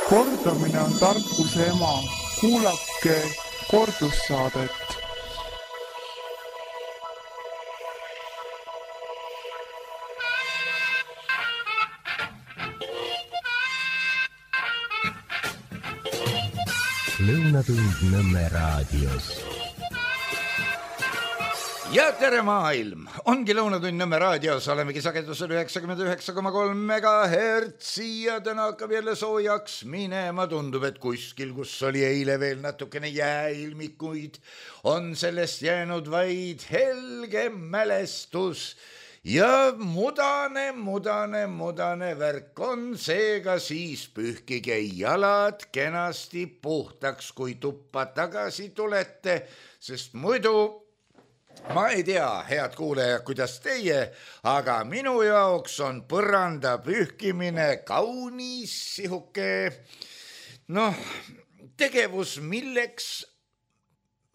Kordamine on tarkuse ema. Kuulake kordussaadet. Lõunatund Nõmme raadios. Ja tere maailm! Ongi Lõunatund Nõmme raadios, olemegi sagedusel 99,3 MHz ja täna hakkab jälle soojaks minema. Tundub, et kuskil, kus oli eile veel natukene jääilmikuid, on sellest jäänud vaid helge mälestus. Ja mudane värk on seega siis pühkige jalad kenasti puhtaks, kui tuppa tagasi tulete, sest muidu ma ei tea, head kuulajad, kuidas teie, aga minu jaoks on põranda pühkimine kaunis sihuke, tegevus, milleks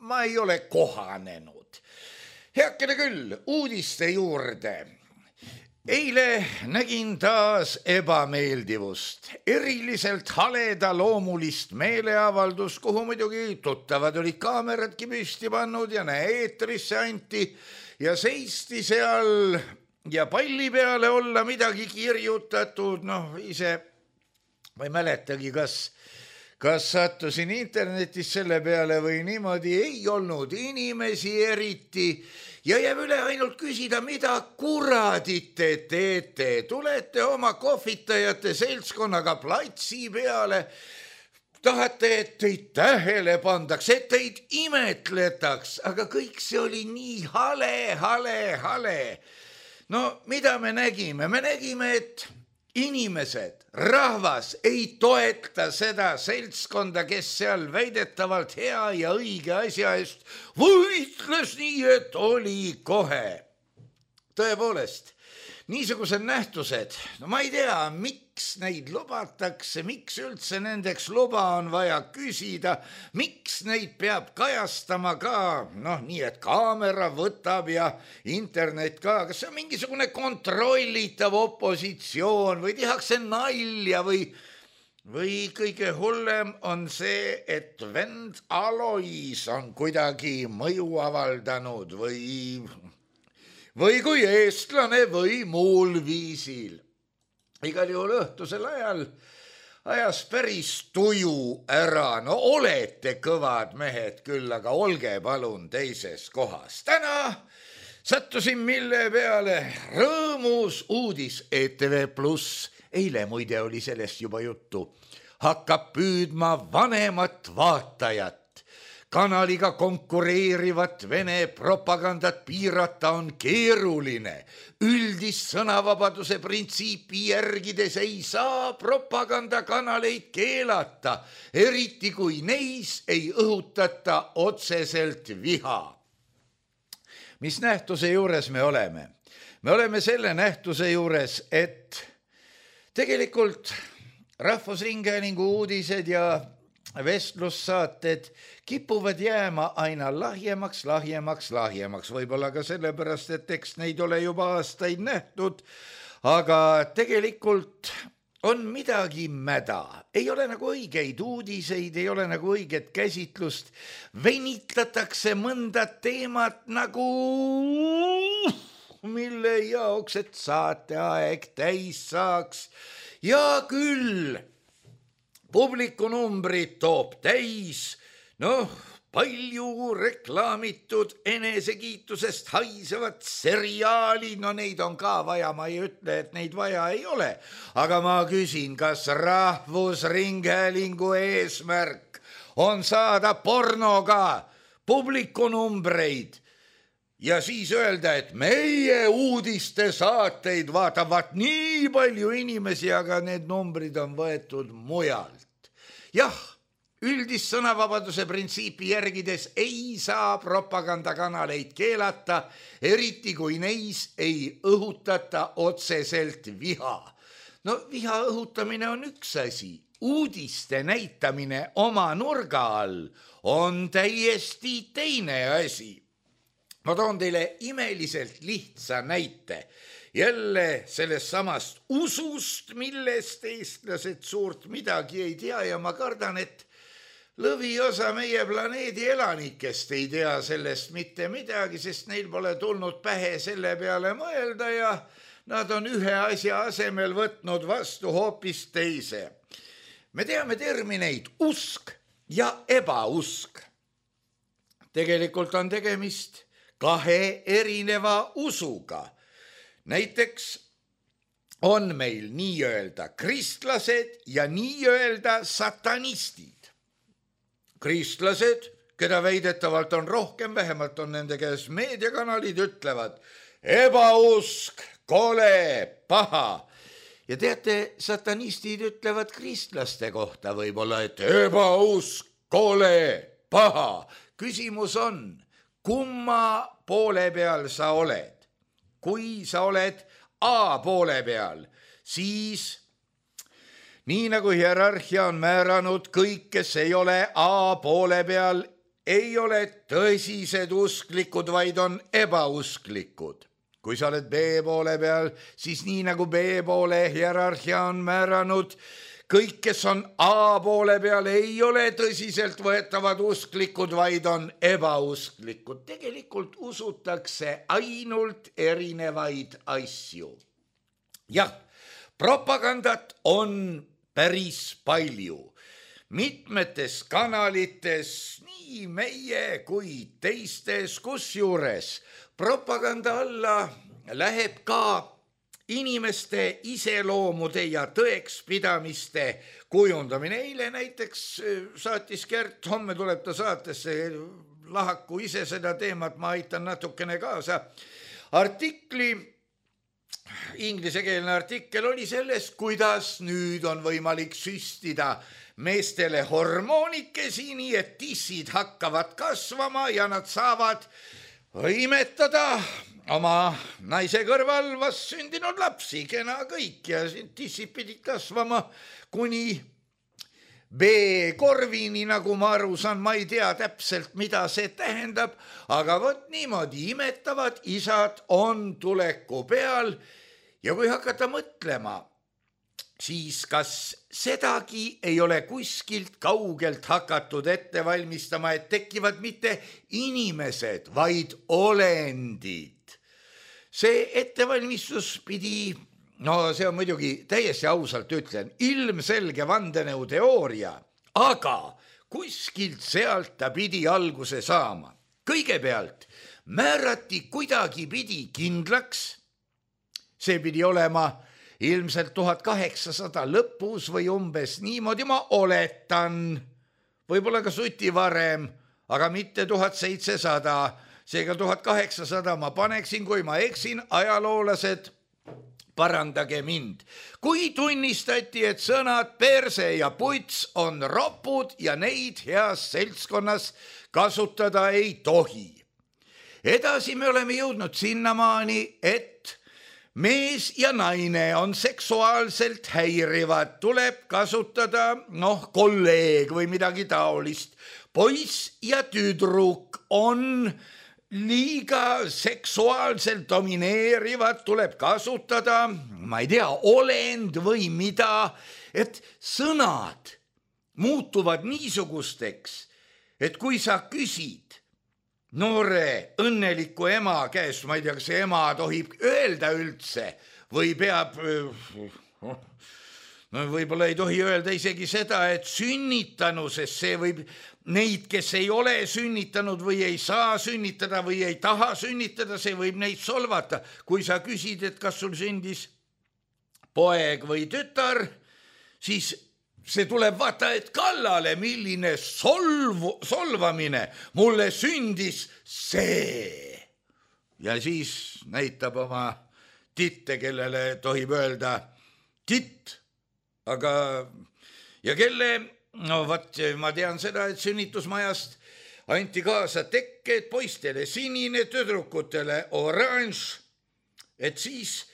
ma ei ole kohanenud. Heakene küll, uudiste juurde. Eile nägin taas ebameeldivust, eriliselt haleda loomulist meeleavaldus, kuhu muidugi tuttavad olid kaameradki püsti pannud ja eetrisse anti ja seisti seal ja palli peale olla midagi kirjutatud, ise ma ei mäletagi, kas sattusin internetis selle peale või niimoodi, ei olnud inimesi eriti ja jääb üle ainult küsida, mida kuradit te teete. Tulete oma kohvitajate seltskonnaga platsi peale, tahate, et teid tähele pandaks, et teid imetletaks, aga kõik see oli nii hale. No mida me nägime? Me nägime, et inimesed, rahvas ei toeta seda seltskonda, kes seal väidetavalt hea ja õige asja eest võitles nii, et oli kohe. Tõepoolest, niisugused nähtused, ma ei tea, miks neid lubatakse, miks üldse nendeks luba on vaja küsida, miks neid peab kajastama ka, nii et kaamera võtab ja internet ka, kas see on mingisugune kontrollitav opositsioon või tehakse nalja või kõige hullem on see, et vend Alois on kuidagi mõju avaldanud või kui eestlane või muul viisil. Igal juhul õhtusel ajal ajas päris tuju ära. Olete kõvad mehed küll, aga olge palun teises kohas. Täna sattusin mille peale rõõmus uudis ETV+. Eile muide oli sellest juba juttu. Hakkab püüdma vanemat vaatajat. Kanaliga konkureerivat Vene propagandat piirata on keeruline. Üldist sõnavabaduse printsiipi järgides ei saa propagandakanaleid keelata, eriti kui neis ei õhutata otseselt viha. Mis nähtuse juures me oleme? Me oleme selle nähtuse juures, et tegelikult Rahvusringhäälingu uudised ja vestlussaated kipuvad jääma aina lahjemaks. Võib-olla ka sellepärast, et eks neid ole juba aastaid nähtud, aga tegelikult on midagi mäda. Ei ole nagu õigeid uudiseid, ei ole nagu õiget käsitlust. Venitatakse mõnda teemat nagu mille jaoks, et saateaeg täis saaks. Ja küll publikunumbrid toob täis, palju reklaamitud enesekiitusest haisevad seriaalid, neid on ka vaja, ma ei ütle, et neid vaja ei ole. Aga ma küsin, kas Rahvusringhäälingu eesmärk on saada pornoga publikunumbreid ja siis öelda, et meie uudiste saateid vaatavad nii palju inimesi, aga need numbrid on võetud mujalt. Jah, üldist sõnavabaduse printsiipi järgides ei saa propagandakanaleid keelata, eriti kui neis ei õhutata otseselt viha. Viha õhutamine on üks asi. Uudiste näitamine oma nurga all on täiesti teine asi. Ma toon teile imeliselt lihtsa näite jälle sellest samast usust, millest eestlased suurt midagi ei tea ja ma kardan, et lõviosa meie planeedi elanikest ei tea sellest mitte midagi, sest neil pole tulnud pähe selle peale mõelda ja nad on ühe asja asemel võtnud vastu hoopis teise. Me teame termineid usk ja ebausk. Tegelikult on tegemist kahe erineva usuga. Näiteks on meil nii-öelda kristlased ja nii-öelda satanistid. Kristlased, keda väidetavalt on rohkem, vähemalt on nende käes meediakanalid, ütlevad ebausk, kole, paha. Ja teate, satanistid ütlevad kristlaste kohta võib-olla, et ebausk, kole, paha. Küsimus on, kumma poole peal sa oled? Kui sa oled A poole peal, siis nii nagu hierarhia on määranud, kõik, kes ei ole A poole peal, ei ole tõsised usklikud, vaid on ebausklikud. Kui sa oled B poole peal, siis nii nagu B poole hierarhia on määranud, kõik, kes on A poole peal, ei ole tõsiselt võetavad usklikud, vaid on ebausklikud. Tegelikult usutakse ainult erinevaid asju. Jah, propagandat on päris palju. Mitmetes kanalites, nii meie kui teistes, kusjuures propaganda alla läheb ka inimeste iseloomude ja tõekspidamiste kujundamine. Eile näiteks saatis Gert, homme tuleb ta saatesse, lahaku ise seda teemat, ma aitan natukene kaasa. Artikli, inglisekeelne artikkel oli sellest, kuidas nüüd on võimalik süstida meestele hormoonikesi, nii et tissid hakkavad kasvama ja nad saavad imetada oma naise kõrval vast sündinud lapsi, kena kõik ja tissid pidid kasvama kuni B-korvini, nagu ma aru saan, ma ei tea täpselt, mida see tähendab, aga vot niimoodi imetavad isad on tuleku peal ja kui hakata mõtlema, siis kas sedagi ei ole kuskilt kaugelt hakatud ette valmistama, et tekivad mitte inimesed, vaid olendid. See ettevalmistus pidi, no see on muidugi täiesti ausalt ütlen, ilmselge vandenõuteooria, aga kuskilt sealt ta pidi alguse saama. Kõigepealt määrati kuidagi pidi kindlaks, see pidi olema ilmselt 1800 lõpus või umbes niimoodi, ma oletan, võib-olla ka suti varem, aga mitte 1700, seega 1800 ma paneksin, kui ma eksin, ajaloolased, parandage mind. Kui tunnistati, et sõnad perse ja puts on ropud ja neid heas seltskonnas kasutada ei tohi. Edasi me oleme jõudnud sinnamaani, et mees ja naine on seksuaalselt häirivad, tuleb kasutada, kolleeg või midagi taolist. Poiss ja tüdruk on liiga seksuaalselt domineerivad, tuleb kasutada, ma ei tea, olend või mida, et sõnad muutuvad niisugusteks, et kui sa küsid noore õnneliku ema käest, ma ei tea, kas ema tohib öelda üldse või peab, võib-olla ei tohi öelda isegi seda, et sünnitanu, sest see võib neid, kes ei ole sünnitanud või ei saa sünnitada või ei taha sünnitada, see võib neid solvata. Kui sa küsid, et kas sul sündis poeg või tütar, siis see tuleb vaata, et kallale, milline solvamine, mulle sündis see. Ja siis näitab oma titte, kellele tohib öelda titt, aga ja kelle, ma tean seda, et sünnitusmajast anti kaasa tekked, poistele sinine, tüdrukutele oranž, et siis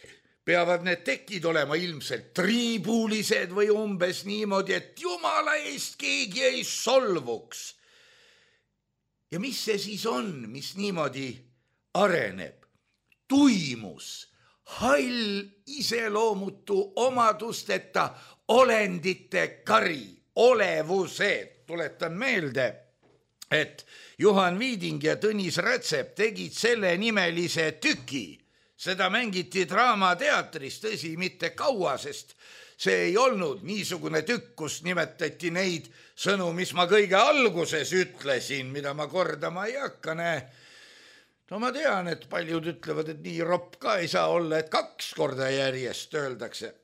peavad need tekid olema ilmselt triibulised või umbes niimoodi, et jumala eest keegi ei solvuks. Ja mis see siis on, mis niimoodi areneb? Tuimus, hall iseloomutu omadusteta olendite kari, olevused. Tuletan meelde, et Juhan Viiding ja Tõnis Rätsep tegid selle nimelise tüki. Seda mängiti Draamateatris, tõsi, mitte kaua, sest see ei olnud niisugune tükk, kus nimetati neid sõnu, mis ma kõige alguses ütlesin, mida ma kordama ei hakka, No ma tean, et paljud ütlevad, et nii ropp ka ei saa olla, et 2 korda järjest öeldakse.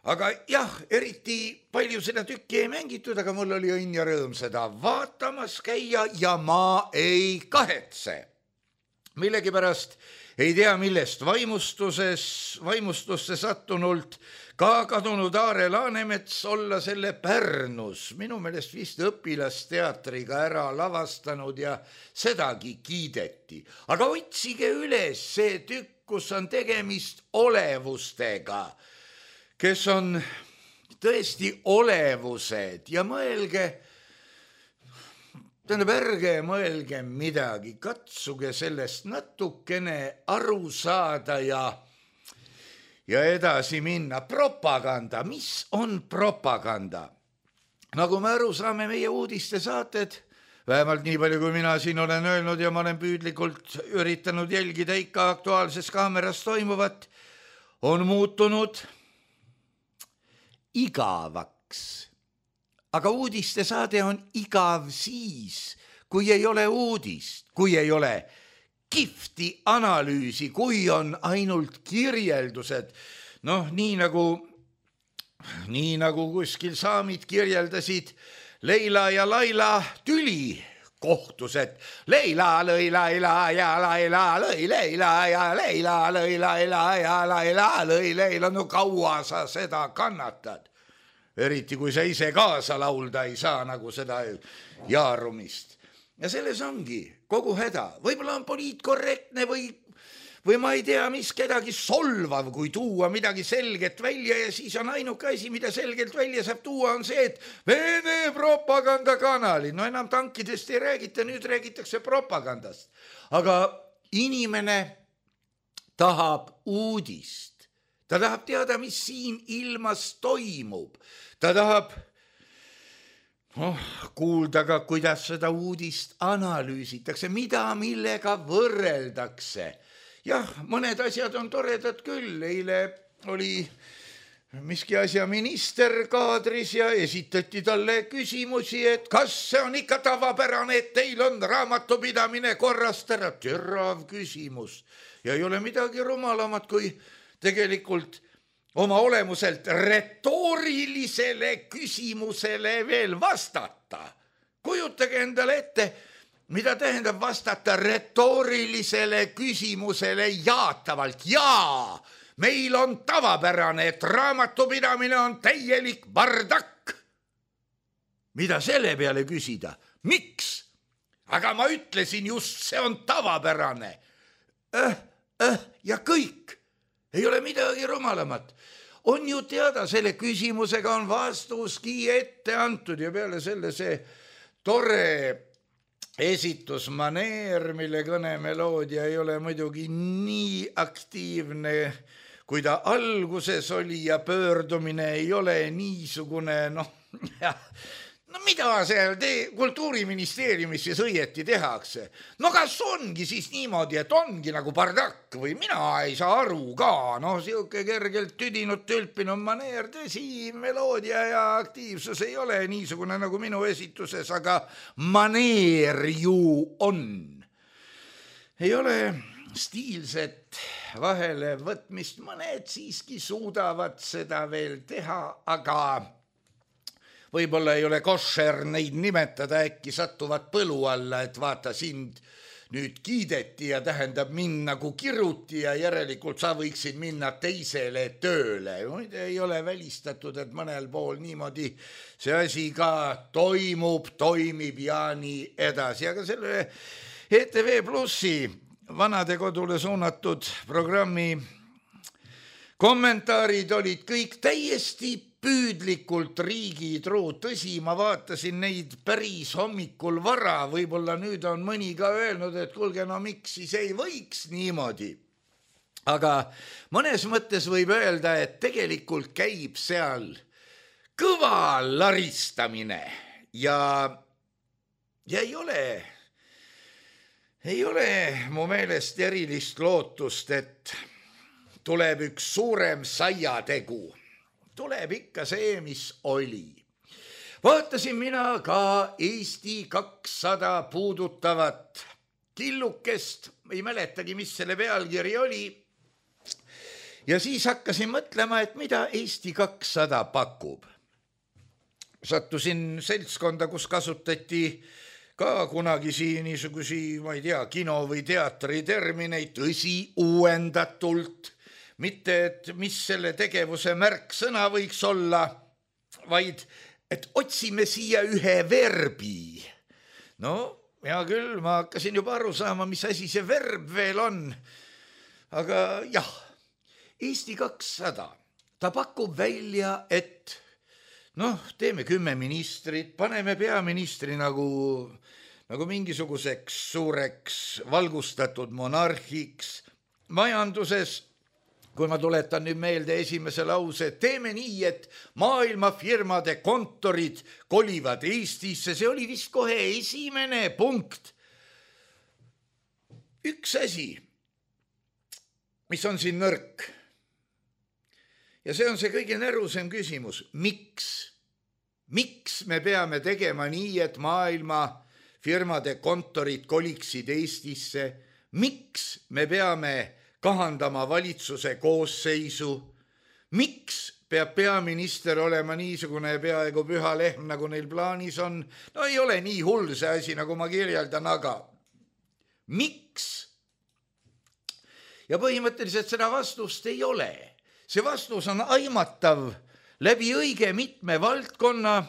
Aga jah, eriti palju seda tükki ei mängitud, aga mul oli õnn ja rõõm seda vaatamas käia ja ma ei kahetse. Millegipärast ei tea, millest vaimustusse sattunult ka kadunud Aare Laanemets olla selle Pärnus, minu meelest vist õpilasteatriga ära lavastanud ja sedagi kiideti. Aga otsige üles see tükk, kus on tegemist olevustega, kes on tõesti olevused ja ärge mõelge midagi, katsuge sellest natukene aru saada ja edasi minna. Propaganda, mis on propaganda? Nagu me aru saame, meie uudistesaated, vähemalt nii palju, kui mina siin olen öelnud ja ma olen püüdlikult üritanud jälgida ikka Aktuaalses Kaameras toimuvat, on muutunud igavaks. Aga uudistesaade on igav siis, kui ei ole uudist, kui ei ole kihvti analüüsi, kui on ainult kirjeldused. Nii nagu kuskil saamid kirjeldasid Leila ja Laila tüli kohtus, et Leila lõi Laila ja Laila lõi Leila ja Leila lõi Laila ja Laila lõi Leila. No kaua sa seda kannatad? Eriti kui sa ise kaasa laulda ei saa, nagu seda jaarumist. Ja selles ongi kogu häda. Võib-olla on poliitkorrektne või ma ei tea, mis kedagi solvav, kui tuua midagi selget välja ja siis on ainuke asi, mida selgelt välja saab tuua, on see, et Vene propagandakanali. No enam tankidest ei räägita, nüüd räägitakse propagandast. Aga inimene tahab uudist. Ta tahab teada, mis siin ilmas toimub. Ta tahab kuulda ka, kuidas seda uudist analüüsitakse, millega võrreldakse. Jah, mõned asjad on toredad küll. Eile oli miski asja minister kaadris ja esitati talle küsimusi, et kas see on ikka tavapärane, et teil on raamatupidamine korrast ära. Terav küsimus. Ja ei ole midagi rumalamat, kui tegelikult oma olemuselt retoorilisele küsimusele veel vastata. Kujutage endale ette, mida tähendab vastata retoorilisele küsimusele jaatavalt. Jaa, meil on tavapärane, et raamatupidamine on täielik bardakk. Mida selle peale küsida? Miks? Aga ma ütlesin just, see on tavapärane. Ja kõik. Ei ole midagi rumalamat. On ju teada, selle küsimusega on vastuski ette antud ja peale selle see tore esitusmaneer, mille kõnemeloodia ei ole muidugi nii aktiivne, kui ta alguses oli ja pöördumine ei ole niisugune, mida seal Kultuuriministeeriumis siis õieti tehakse? Kas ongi siis niimoodi, et ongi nagu bardakk või mina ei saa aru ka? Siuke kergelt tüdinud tülpinud maneer, tõsi, meloodia ja aktiivsus ei ole niisugune nagu minu esituses, aga maneer ju on. Ei ole stiilset vahele võtmist, mõned siiski suudavad seda veel teha, aga võib-olla ei ole košer neid nimetada, äkki satuvad põlu alla, et vaata, sind nüüd kiideti ja tähendab mind nagu kiruti ja järelikult sa võiksid minna teisele tööle. Ei ole välistatud, et mõnel pool niimoodi see asi ka toimib ja nii edasi. Aga selle ETV Plussi Vanadekodule suunatud programmi kommentaarid olid kõik täiesti püüdlikult riigitruud. Tõsi, ma vaatasin neid päris hommikul vara, võib-olla nüüd on mõni ka öelnud, et kuulge, miks siis ei võiks niimoodi. aga mõnes mõttes võib öelda, et tegelikult käib seal kõva laristamine ja ei ole mu meelest erilist lootust, et tuleb üks suurem saiategu. Tuleb ikka see, mis oli. Vaatasin mina ka Eesti 200 puudutavat killukest, ei mäletagi, mis selle pealkiri oli. Ja siis hakkasin mõtlema, et mida Eesti 200 pakub. Sattusin seltskonda, kus kasutati ka kunagisi niisugusi, ma ei tea, kino või teatri termineid, tõsi, uuendatult. Mitte, et mis selle tegevuse märksõna võiks olla, vaid et otsime siia ühe verbi. No, hea küll, ma hakkasin juba aru saama, mis asi see verb veel on. Aga jah, Eesti 200, ta pakub välja, et teeme 10 ministrit, paneme peaministri nagu mingisuguseks suureks valgustatud monarhiks. Majanduses, kui ma tuletan nüüd meelde esimese lause, teeme nii, et maailmafirmade kontorid kolivad Eestisse, see oli vist kohe esimene punkt. Üks asi, mis on siin nõrk. Ja see on see kõige närusem küsimus. Miks me peame tegema nii, et maailma firmade kontorid koliksid Eestisse? Miks me peame kahandama valitsuse koosseisu? Miks peab peaminister olema niisugune peaaegu püha lehm, nagu neil plaanis on? No ei ole nii hull see asi, nagu ma kirjeldan, aga miks? Ja põhimõtteliselt seda vastust ei ole. See vastus on aimatav läbi õige mitme valdkonna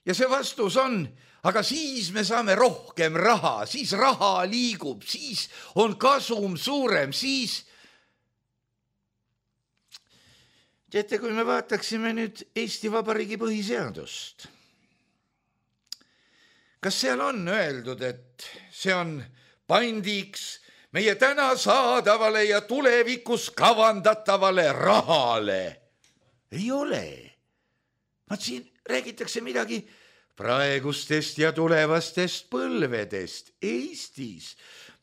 ja see vastus on, aga siis me saame rohkem raha, siis raha liigub, siis on kasum suurem, siis... Teate, kui me vaataksime nüüd Eesti Vabariigi põhiseadust, kas seal on öeldud, et see on pandiks meie täna saadavale ja tulevikus kavandatavale rahale? Ei ole. Siin räägitakse midagi praegustest ja tulevastest põlvedest Eestis.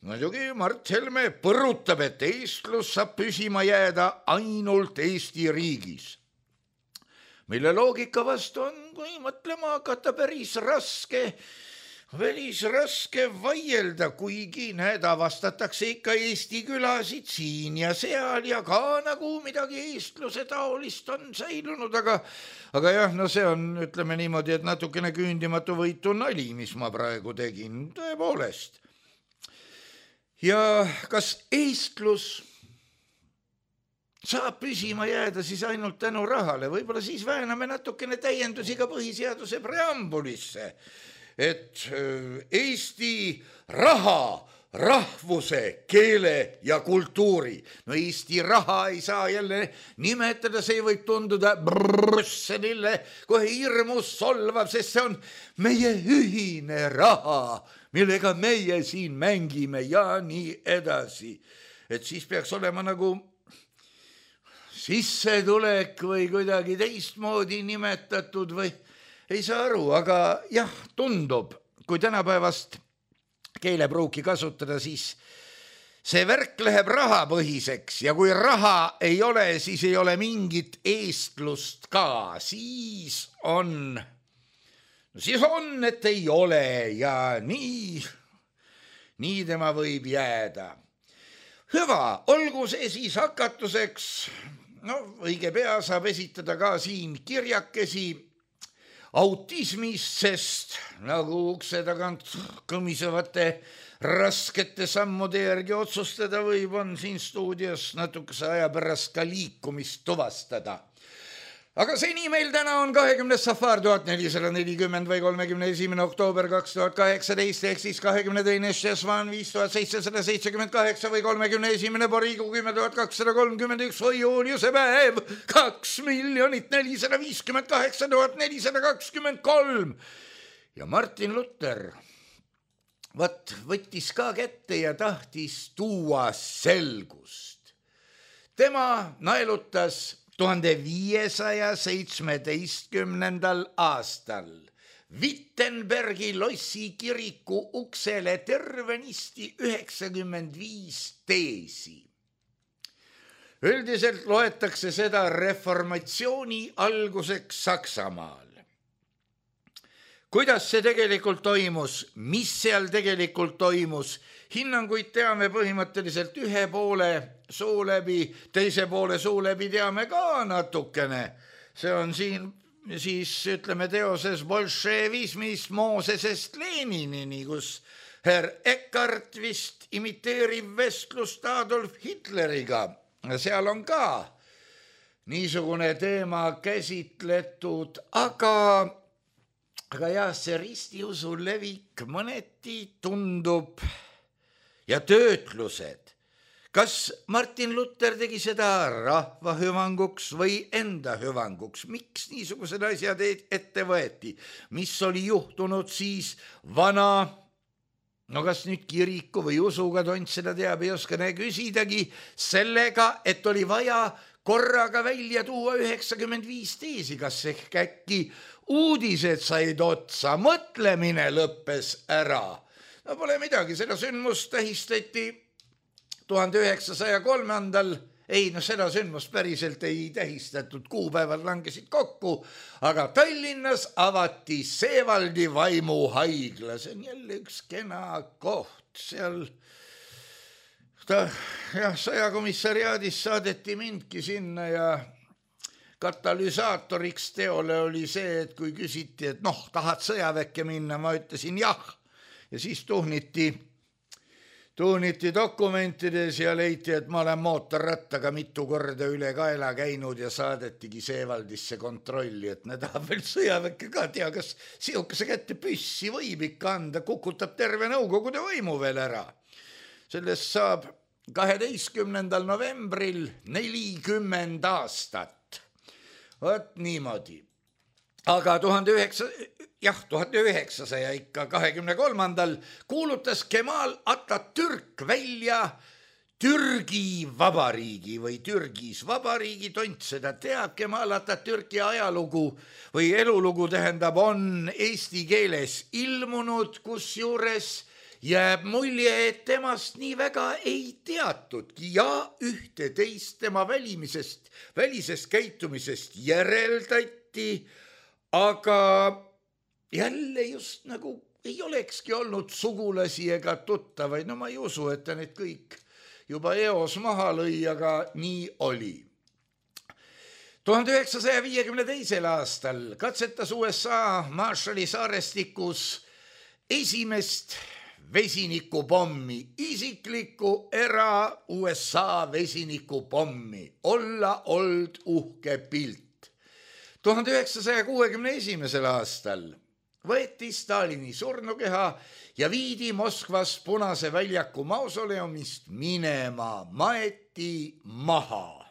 Muidugi Mart Helme põrutab, et eestlus saab püsima jääda ainult Eesti riigis. Mille loogika vastu on, kui mõtlema hakata, päris raske vaielda, kuigi avastatakse ikka Eesti külasid siin ja seal ja ka nagu midagi eestluse taolist on säilunud, aga jah, see on, ütleme niimoodi, et natukene küündimatu võitu nali, mis ma praegu tegin, tõepoolest. Ja kas eestlus saab püsima jääda siis ainult tänu rahale? Võib-olla siis vääname natukene täiendusi ka põhiseaduse preambulisse, et Eesti raha, rahvuse, keele ja kultuuri. No Eesti raha ei saa jälle nimetada, see võib tunduda Brüsselile kohe hirmus solvav, sest see on meie ühine raha, millega meie siin mängime ja nii edasi. Et siis peaks olema nagu sissetulek või kuidagi teistmoodi nimetatud või ei saa aru, aga jah, tundub, kui tänapäevast keelepruuki kasutada, siis see värk läheb rahapõhiseks ja kui raha ei ole, siis ei ole mingit eestlust ka. Siis on, et ei ole ja nii tema võib jääda. Hüva, olgu see siis hakatuseks, õige pea saab esitada ka siin kirjakesi autismist, sest nagu ukse tagant kõmisevate raskete sammude järgi otsustada võib, on siin stuudios natukese aja pärast ka liikumist tuvastada. Aga seni meil täna on 20. safar 1440 või 31. oktoober 2018 ehk siis 22. šesvan 5778 või 31. poriigu 10.231 või juuniuse päev 2,458,423. Ja Martin Luther võttis ka kätte ja tahtis tuua selgust. tema naelutas 1517. aastal Wittenbergi lossi kiriku uksele tervenisti 95 teesi. Üldiselt loetakse seda reformatsiooni alguseks Saksamaal. Kuidas see tegelikult toimus, mis seal tegelikult toimus, hinnanguid teame põhimõtteliselt ühe poole suu läbi, teise poole suu läbi teame ka natukene. See on siin siis ütleme teoses bolševismist Moosesest Leninini, kus herr Eckart vist imiteerib vestlust Adolf Hitleriga. Seal on ka niisugune teema käsitletud, aga jah, see ristiusu levik mõneti tundub ja töötlused. Kas Martin Luther tegi seda rahva hüvanguks või enda hüvanguks? Miks niisugused asjad ette võeti? Mis oli juhtunud siis vana, no kas nüüd kiriku või usuga, tont seda teab, ei oska küsidagi, sellega, et oli vaja korraga välja tuua 95 teesi, kas ehk äkki uudised said otsa, mõtlemine lõppes ära. No pole midagi, seda sündmust tähistati 1903. Seda sündmust päriselt ei tähistatud, kuupäevad langesid kokku, aga Tallinnas avati Seevaldi vaimuhaigla, see on jälle üks kena koht, seal sõjakomissariaadis saadeti mindki sinna ja katalüsaatoriks teole oli see, et kui küsiti, et tahad sõjaväkke minna, ma ütlesin jah, ja siis tuhniti dokumentides ja leiti, et ma olen mootorrattaga mitu korda üle kaela käinud ja saadetigi Seevaldisse kontrolli, et ne tahab veel sõjaväkke ka tea, kas sihukese kätte püssi võib ikka anda, kukutab terve Nõukogude võimu veel ära. Sellest saab 12. novembril 40 aastat. Vot niimoodi. Aga 1923. kuulutas Kemal Atatürk välja Türgi vabariigi või Türgis vabariigi, tont seda teab. Kemal Atatürki ajalugu või elulugu tähendab, on eesti keeles ilmunud, kusjuures jääb mulje, et temast nii väga ei teatudki ja ühte-teist tema välisest käitumisest järeldati, aga jälle just nagu ei olekski olnud sugulasi ega tuttavaid. No ma ei usu, et ta need kõik juba eos maha lõi, aga nii oli. 1952. aastal katsetas USA Marshalli saarestikus esimest vesinikupommi, isiklikku USA vesinikupommi. Olla old uhke pilt. 1961. aastal võeti Stalini surnukeha ja viidi Moskvas Punase väljaku mausoleumist minema, maeti maha.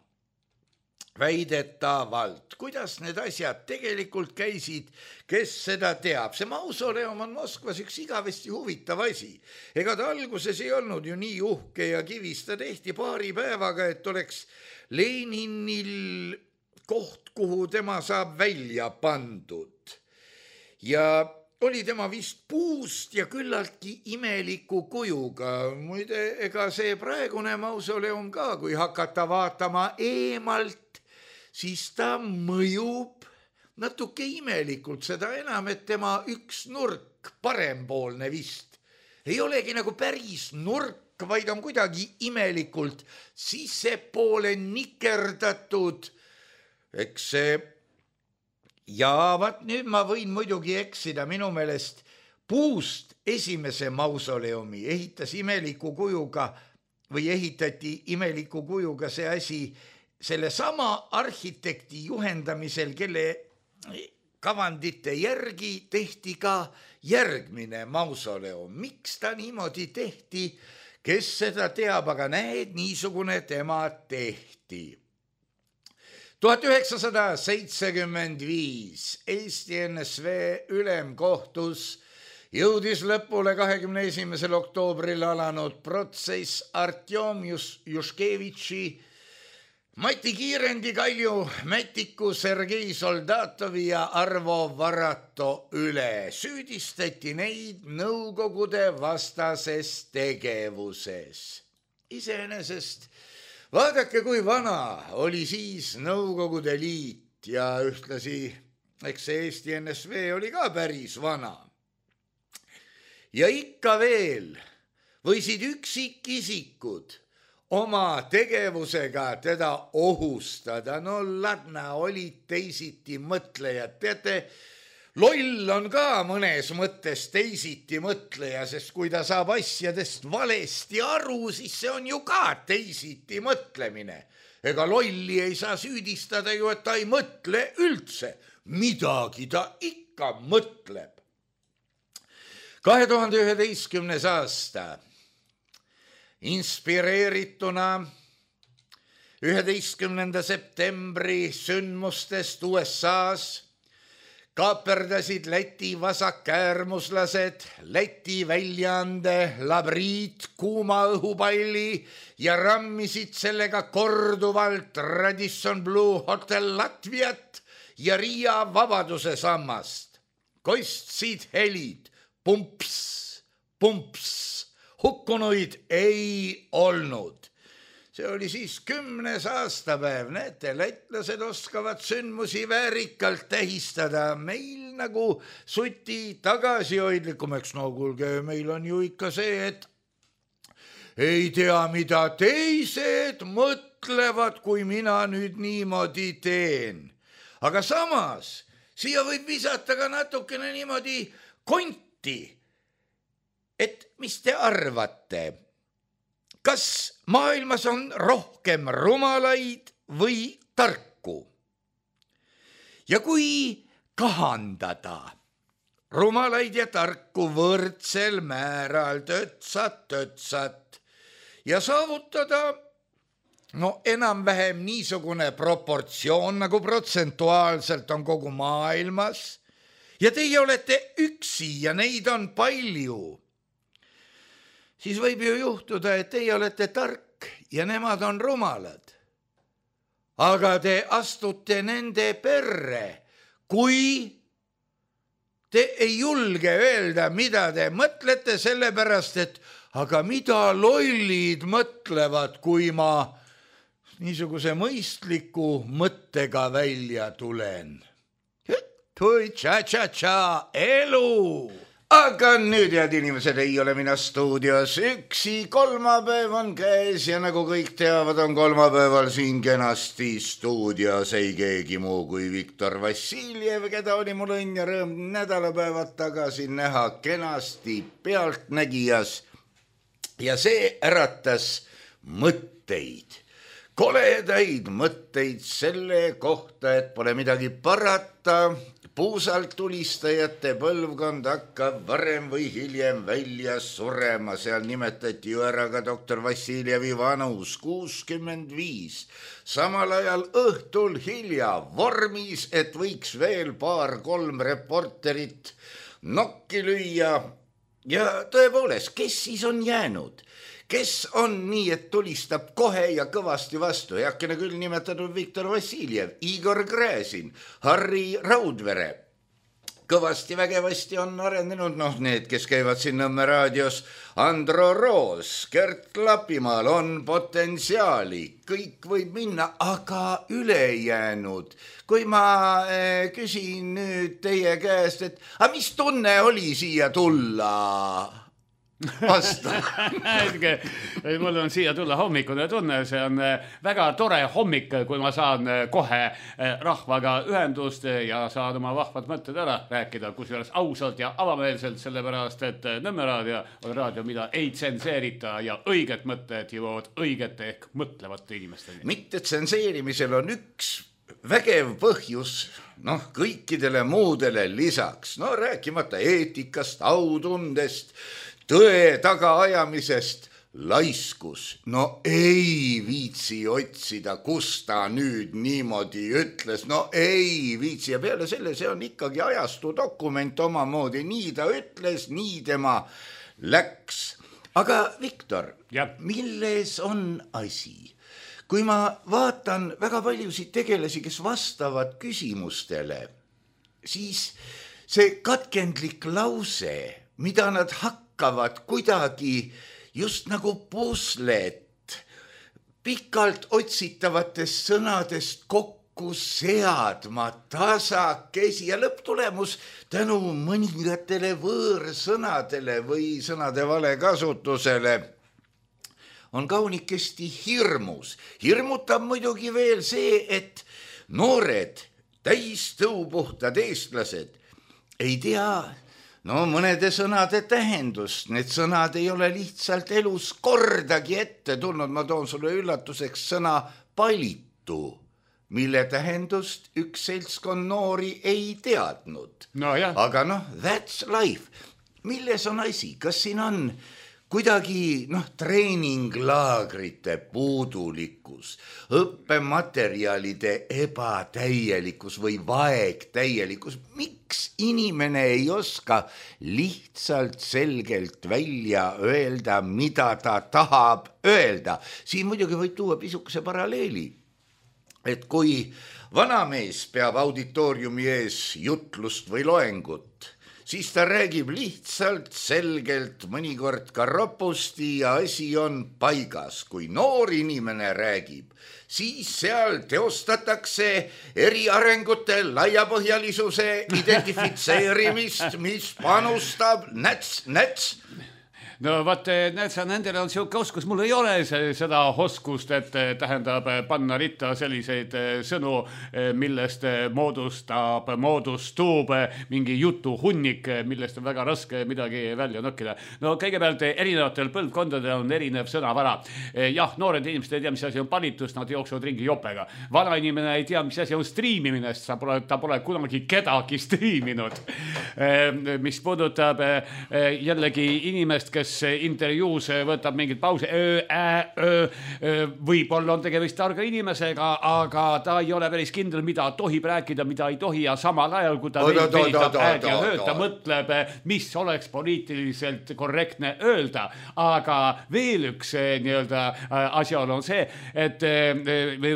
Väidetavalt. Kuidas need asjad tegelikult käisid, kes seda teab? See mausoleum on Moskvas üks igavesti huvitav asi. Ega ta alguses ei olnud ju nii uhke ja kivis, ta tehti paari päevaga, et oleks Leninil koht, kuhu tema saab välja pandud. Ja oli tema vist puust ja küllaltki imeliku kujuga. Muide, ega see praegune mausoleum ka, kui hakata vaatama eemalt, siis ta mõjub natuke imelikult, seda enam, et tema üks nurk, parempoolne vist, ei olegi nagu päris nurk, vaid on kuidagi imelikult sissepoole nikerdatud. Eks see, ja vaat nüüd ma võin muidugi eksida, minu meelest puust esimese mausoleumi ehitas imeliku kujuga või ehitati imeliku kujuga see asi selle sama arhitekti juhendamisel, kelle kavandite järgi tehti ka järgmine mausoleum. Miks ta niimoodi tehti, kes seda teab, aga näed, niisugune tema tehti. 1975 Eesti NSV ülemkohtus jõudis lõpule 21. oktoobril alanud protsess Artjom Juškevitši Mati Kiirendi, Kalju Mätiku, Sergei Soldatovi ja Arvo Varato üle süüdistati neid nõukogude vastases tegevuses. Iseenesest vaadake, kui vana oli siis Nõukogude Liit ja ühtlasi, eks see Eesti NSV oli ka päris vana. Ja ikka veel võisid üksikisikud oma tegevusega teda ohustada. No ladna olid teisiti mõtlejad. Teate, loll on ka mõnes mõttes teisiti mõtleja, sest kui ta saab asjadest valesti aru, siis see on ju ka teisiti mõtlemine. Ega lolli ei saa süüdistada ju, et ta ei mõtle üldse. Midagi ta ikka mõtleb. 2011. aasta inspireerituna 11. septembri sündmustest USA-s kaaperdasid Läti vasakäärmuslased Läti väljaande Labriit kuuma õhupalli ja rammisid sellega korduvalt Radisson Blu Hotel Latviat ja Riia Vabaduse sammast. Kostsid helid, pumps, pumps. Hukkunuid ei olnud. See oli siis 10. aastapäev. Näete, lätlased oskavad sündmusi väärikalt tähistada. Meil nagu suti tagasihoidlikumaks. No kuulge, meil on ju ikka see, et ei tea, mida teised mõtlevad, kui mina nüüd niimoodi teen. Aga samas, siia võib visata ka natukene niimoodi konti. Et mis te arvate, kas maailmas on rohkem rumalaid või tarku? Ja kui kahandada rumalaid ja tarku võrdsel määral tötsat ja saavutada enam-vähem niisugune proportsioon, nagu protsentuaalselt on kogu maailmas, ja teie olete üksi ja neid on palju, siis võib ju juhtuda, et teie olete tark ja nemad on rumalad. Aga te astute nende perre, kui te ei julge öelda, mida te mõtlete, sellepärast, et aga mida lollid mõtlevad, kui ma niisuguse mõistliku mõttega välja tulen. Tui tša-tša-tša, elu! Aga nüüd, head inimesed, ei ole mina stuudios üksi, kolmapäev on käes ja nagu kõik teavad, on kolmapäeval siin kenasti stuudios ei keegi muu kui Viktor Vassiljev, keda oli mul õnn ja rõõm nädalapäevad tagasi näha kenasti Pealtnägijas. Ja see äratas mõtteid, koledaid mõtteid selle kohta, et pole midagi parata, puusalt tulistajate põlvkond hakkab varem või hiljem välja surema. Seal nimetati ju ära ka doktor Vassiljevi vanus 65. Samal ajal õhtul hilja vormis, et võiks veel 2-3 reporterit nokki lüüa. Ja tõepoolest, kes siis on jäänud? Kes on nii, et tulistab kohe ja kõvasti vastu? Heakene küll nimetatud Viktor Vassiljev, Igor Gräzin, Harri Raudvere. Kõvasti vägevasti on arenenud, need, kes käivad siin Nõmme raadios, Andro Roos, Gert Lapimaal on potentsiaali, kõik võib minna, aga ülejäänud. Kui ma küsin nüüd teie käest, et mis tunne oli siia tulla? Vasta. Mul on siia tulla hommikune tunne, see on väga tore hommik, kui ma saan kohe rahvaga ühendust ja saan oma vahvad mõtted ära rääkida, kusjuures ausalt ja avameelselt, sellepärast, et Nõmme raadio on raadio, mida ei tsenseerita ja õiged mõtted jõuavad õigete ehk mõtlevate inimesteni. Mitte tsenseerimisel on üks vägev põhjus, kõikidele muudele lisaks, rääkimata eetikast, autundest, tõe tagaajamisest, laiskus. Ei viitsi otsida, kus ta nüüd niimoodi ütles. Ei viitsi ja peale selle, see on ikkagi ajastu dokument omamoodi. Nii ta ütles, nii tema läks. Aga Viktor, milles on asi? kui ma vaatan väga paljusid tegelasi, kes vastavad küsimustele, siis see katkendlik lause, mida nad hakkavad kuidagi just nagu puslet pikalt otsitavatest sõnadest kokku seadma tasakesi ja lõpptulemus tänu mõningatele võõrsõnadele või sõnade vale kasutusele on kaunikesti hirmus. Hirmutab muidugi veel see, et noored, täistõupuhtad eestlased ei tea mõnede sõnade tähendust. Need sõnad ei ole lihtsalt elus kordagi ette tulnud. Ma toon sulle üllatuseks sõna palitu, mille tähendust üks seltskond noori ei teadnud. Aga that's life. Milles on asi? Kas siin on kuidagi treeninglaagrite puudulikkus, õppematerjalide ebatäielikkus või vaegtäielikkus? Miks inimene ei oska lihtsalt selgelt välja öelda, mida ta tahab öelda? Siin muidugi võib tuua pisukese paralleeli, et kui vanamees peab auditooriumi ees jutlust või loengut, siis ta räägib lihtsalt, selgelt, mõnikord ka ropusti ja asi on paigas. Kui noor inimene räägib, siis seal teostatakse eriarengute laiapõhjalisuse identifitseerimist, mis panustab näts. No vaat, näed sa, nendel on siuke oskus, mul ei ole seda oskust, et tähendab panna ritta selliseid sõnu, millest moodustub mingi jutu hunnik, millest on väga raske midagi välja nokkida. No kõigepealt erinevatel põlvkondadel on erinev sõnavara. Jah, noored inimesed ei tea, mis asi on palitus, nad jooksevad ringi jopega. Vana inimene ei tea, mis asi on striimimine, sest ta pole kunagi kedagi striiminud. Mis puudutab jällegi inimest, kes intervjuus võtab mingid pause, võib-olla on tegemist targa inimesega, aga ta ei ole päris kindel, mida tohib rääkida, mida ei tohi ja samal ajal, kui ta veidab ja hööta, mõtleb, mis oleks poliitiliselt korrektne öelda. Aga veel üks asjaolu on see, et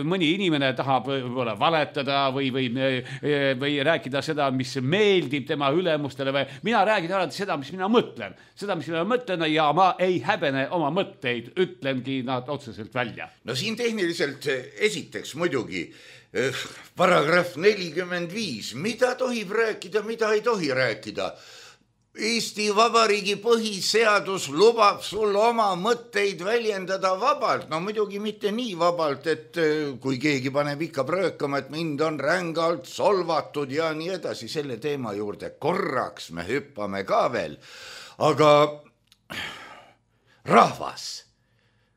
mõni inimene tahab võib-olla valetada või rääkida seda, mis meeldib tema ülemustele või mina räägin alati seda, mis mina mõtlen. Seda, mis mina mõtlen ja ma ei häbene oma mõtteid, ütlengi nad otseselt välja. No siin tehniliselt esiteks muidugi paragrahv 45, mida tohib rääkida, mida ei tohi rääkida. Eesti Vabariigi põhiseadus lubab sul oma mõtteid väljendada vabalt. No muidugi mitte nii vabalt, et kui keegi paneb ikka pröökama, et mind on rängalt solvatud ja nii edasi. Selle teema juurde korraks me hüppame ka veel. Aga rahvas,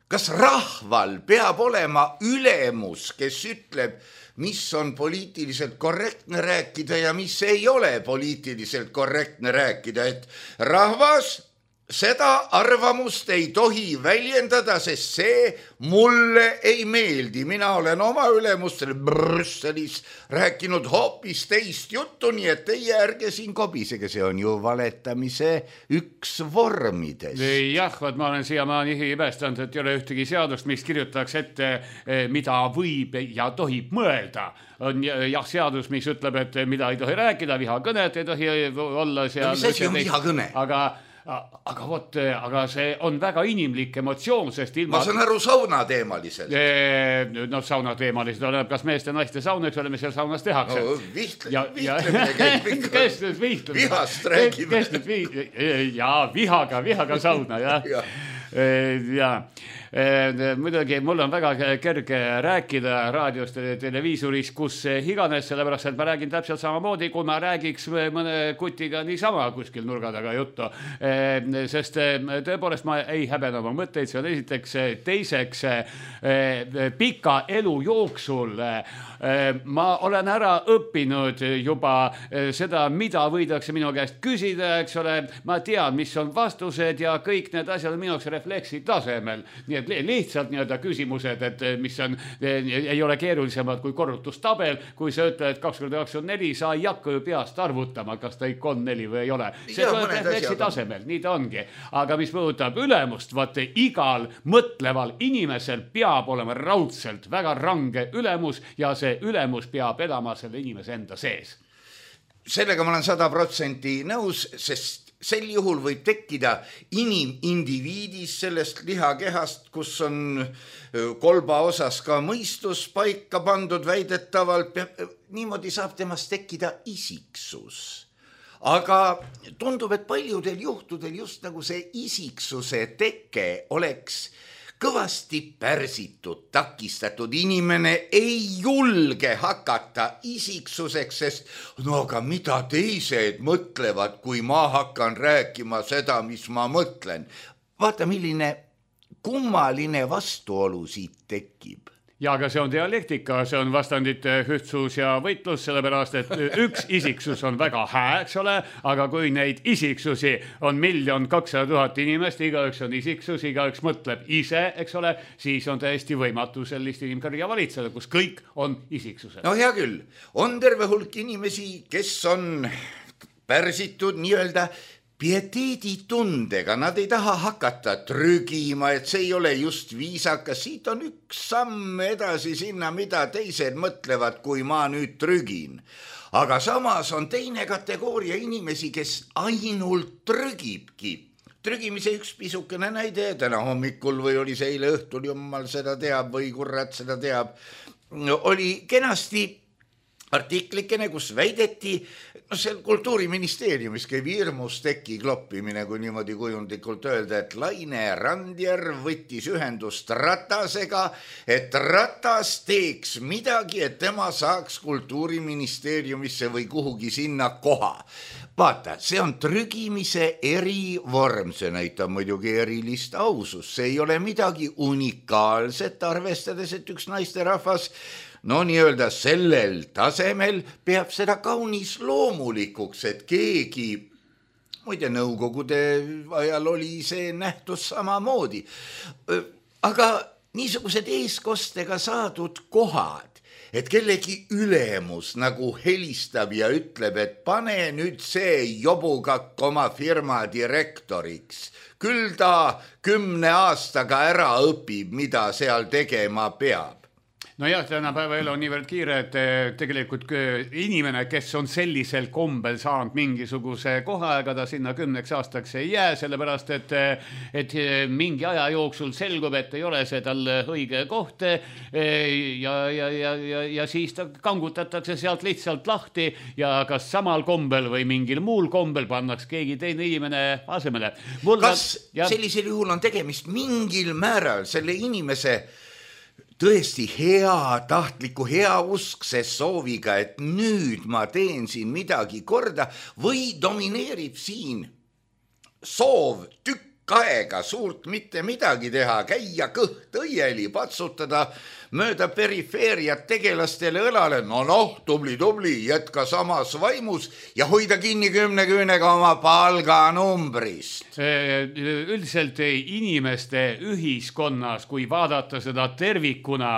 kas rahval peab olema ülemus, kes ütleb, mis on poliitiliselt korrektne rääkida ja mis ei ole poliitiliselt korrektne rääkida, et rahvas seda arvamust ei tohi väljendada, sest see mulle ei meeldi. Mina olen oma ülemustele Brüsselis rääkinud hoopis teist juttu, nii et teie ärge siin kobisege, see on ju valetamise üks vormides. Jah, ma olen siiamaani imestanud, et ei ole ühtegi seadust, mis kirjutaks ette, mida võib ja tohib mõelda. On jah seadus, mis ütleb, et mida ei tohi rääkida, vihakõnet ei tohi olla seal. Mis asi on vihakõne? Aga see on väga inimlik emotsioon, sest ilma... Ma saan aru saunateemaliselt. Saunateemaliselt oleneb, kas meeste naiste saun, eks ole, mis seal saunas tehakse. No, vihtlemine käib ikka. Kes nüüd vihtlemine? Vihast räägime. Vihaga sauna, jah. Muidugi mul on väga kerge rääkida raadiost, televiisoris, kus iganes, sellepärast, et ma räägin täpselt samamoodi, kui ma räägiks mõne kutiga niisama kuskil nurga taga juttu. Sest tõepoolest ma ei häbene oma mõtteid, see on esiteks. Teiseks, pika elu jooksul ma olen ära õppinud juba seda, mida võidakse minu käest küsida, eks ole. Ma tean, mis on vastused ja kõik need asjad on minu jaoks refleksi tasemel. Nii need lihtsalt nii-öelda küsimused, et mis on, ei ole keerulisemad kui korrutustabel, kui sa ütled, et 2 × 2 on 4, sa ei hakka ju peast arvutama, kas ta ikka on 4 või ei ole. See tuleb refleksi tasemel, nii ta ongi. Aga mis puudutab ülemust, vaata igal mõtleval inimesel peab olema raudselt väga range ülemus ja see ülemus peab elama selle inimese enda sees. Sellega ma olen 100% nõus, sest sel juhul võib tekkida indiviidis sellest lihakehast, kus on kolba osas ka mõistus paika pandud väidetavalt, niimoodi saab temast tekkida isiksus. Aga tundub, et paljudel juhtudel just nagu see isiksuse teke oleks kõvasti pärsitud, takistatud. Inimene ei julge hakata isiksuseks, sest no aga mida teised mõtlevad, kui ma hakkan rääkima seda, mis ma mõtlen. Vaata, milline kummaline vastuolu siit tekib. Ja aga see on dialektika, see on vastandite ühtsus ja võitlus, sellepärast, et üks isiksus on väga hää, eks ole, aga kui neid isiksusi on 1 200 000 inimest, igaüks on isiksus, igaüks mõtleb ise, eks ole, siis on täiesti võimatu sellist inimkarja valitseda, kus kõik on isiksused. No hea küll, on terve hulk inimesi, kes on pärsitud nii-öelda pieteeditundega, nad ei taha hakata trügima, et see ei ole just viisakas, siit on üks samm edasi sinna, mida teised mõtlevad, kui ma nüüd trügin. Aga samas on teine kategooria inimesi, kes ainult trügibki. Trügimise üks pisukene näide, täna hommikul või oli see eile õhtul, jumal seda teab või kurat seda teab, oli kenasti artiklikene, kus väideti, seal Kultuuriministeeriumis käib hirmus teki kloppimine, kui niimoodi kujundlikult öelda, et Laine Randjärv võttis ühendust Ratasega, et Ratas teeks midagi, et tema saaks Kultuuriministeeriumisse või kuhugi sinna koha. Vaata, see on trügimise erivorm, see näitab muidugi erilist ausust, see ei ole midagi unikaalset, arvestades, et üks naisterahvas no nii-öelda sellel tasemel peab seda kaunis loomulikuks, et keegi, muide nõukogude ajal oli see nähtus samamoodi, aga niisugused eeskostega saadud kohad, et kellegi ülemus nagu helistab ja ütleb, et pane nüüd see jobukakk oma firma direktoriks, küll ta 10 aastaga ära õpib, mida seal tegema peab. No jah, tänapäeva elu on niivõrd kiire, et tegelikult inimene, kes on sellisel kombel saanud mingisuguse koha, ega ta sinna 10 aastaks ei jää, sellepärast, et mingi aja jooksul selgub, et ei ole see tal õige koht ja siis ta kangutatakse sealt lihtsalt lahti ja kas samal kombel või mingil muul kombel pannaks keegi teine inimene asemele. Kas sellisel juhul on tegemist mingil määral selle inimese tõesti tahtliku heauskse sooviga, et nüüd ma teen siin midagi korda või domineerib siin soov tükk aega suurt mitte midagi teha, käia kõht õieli, patsutada mööda perifeeriat tegelastele õlale, noh, tubli, jätka samas vaimus ja hoida kinni 10 küünega oma palganumbrist. Üldiselt inimeste ühiskonnas, kui vaadata seda tervikuna,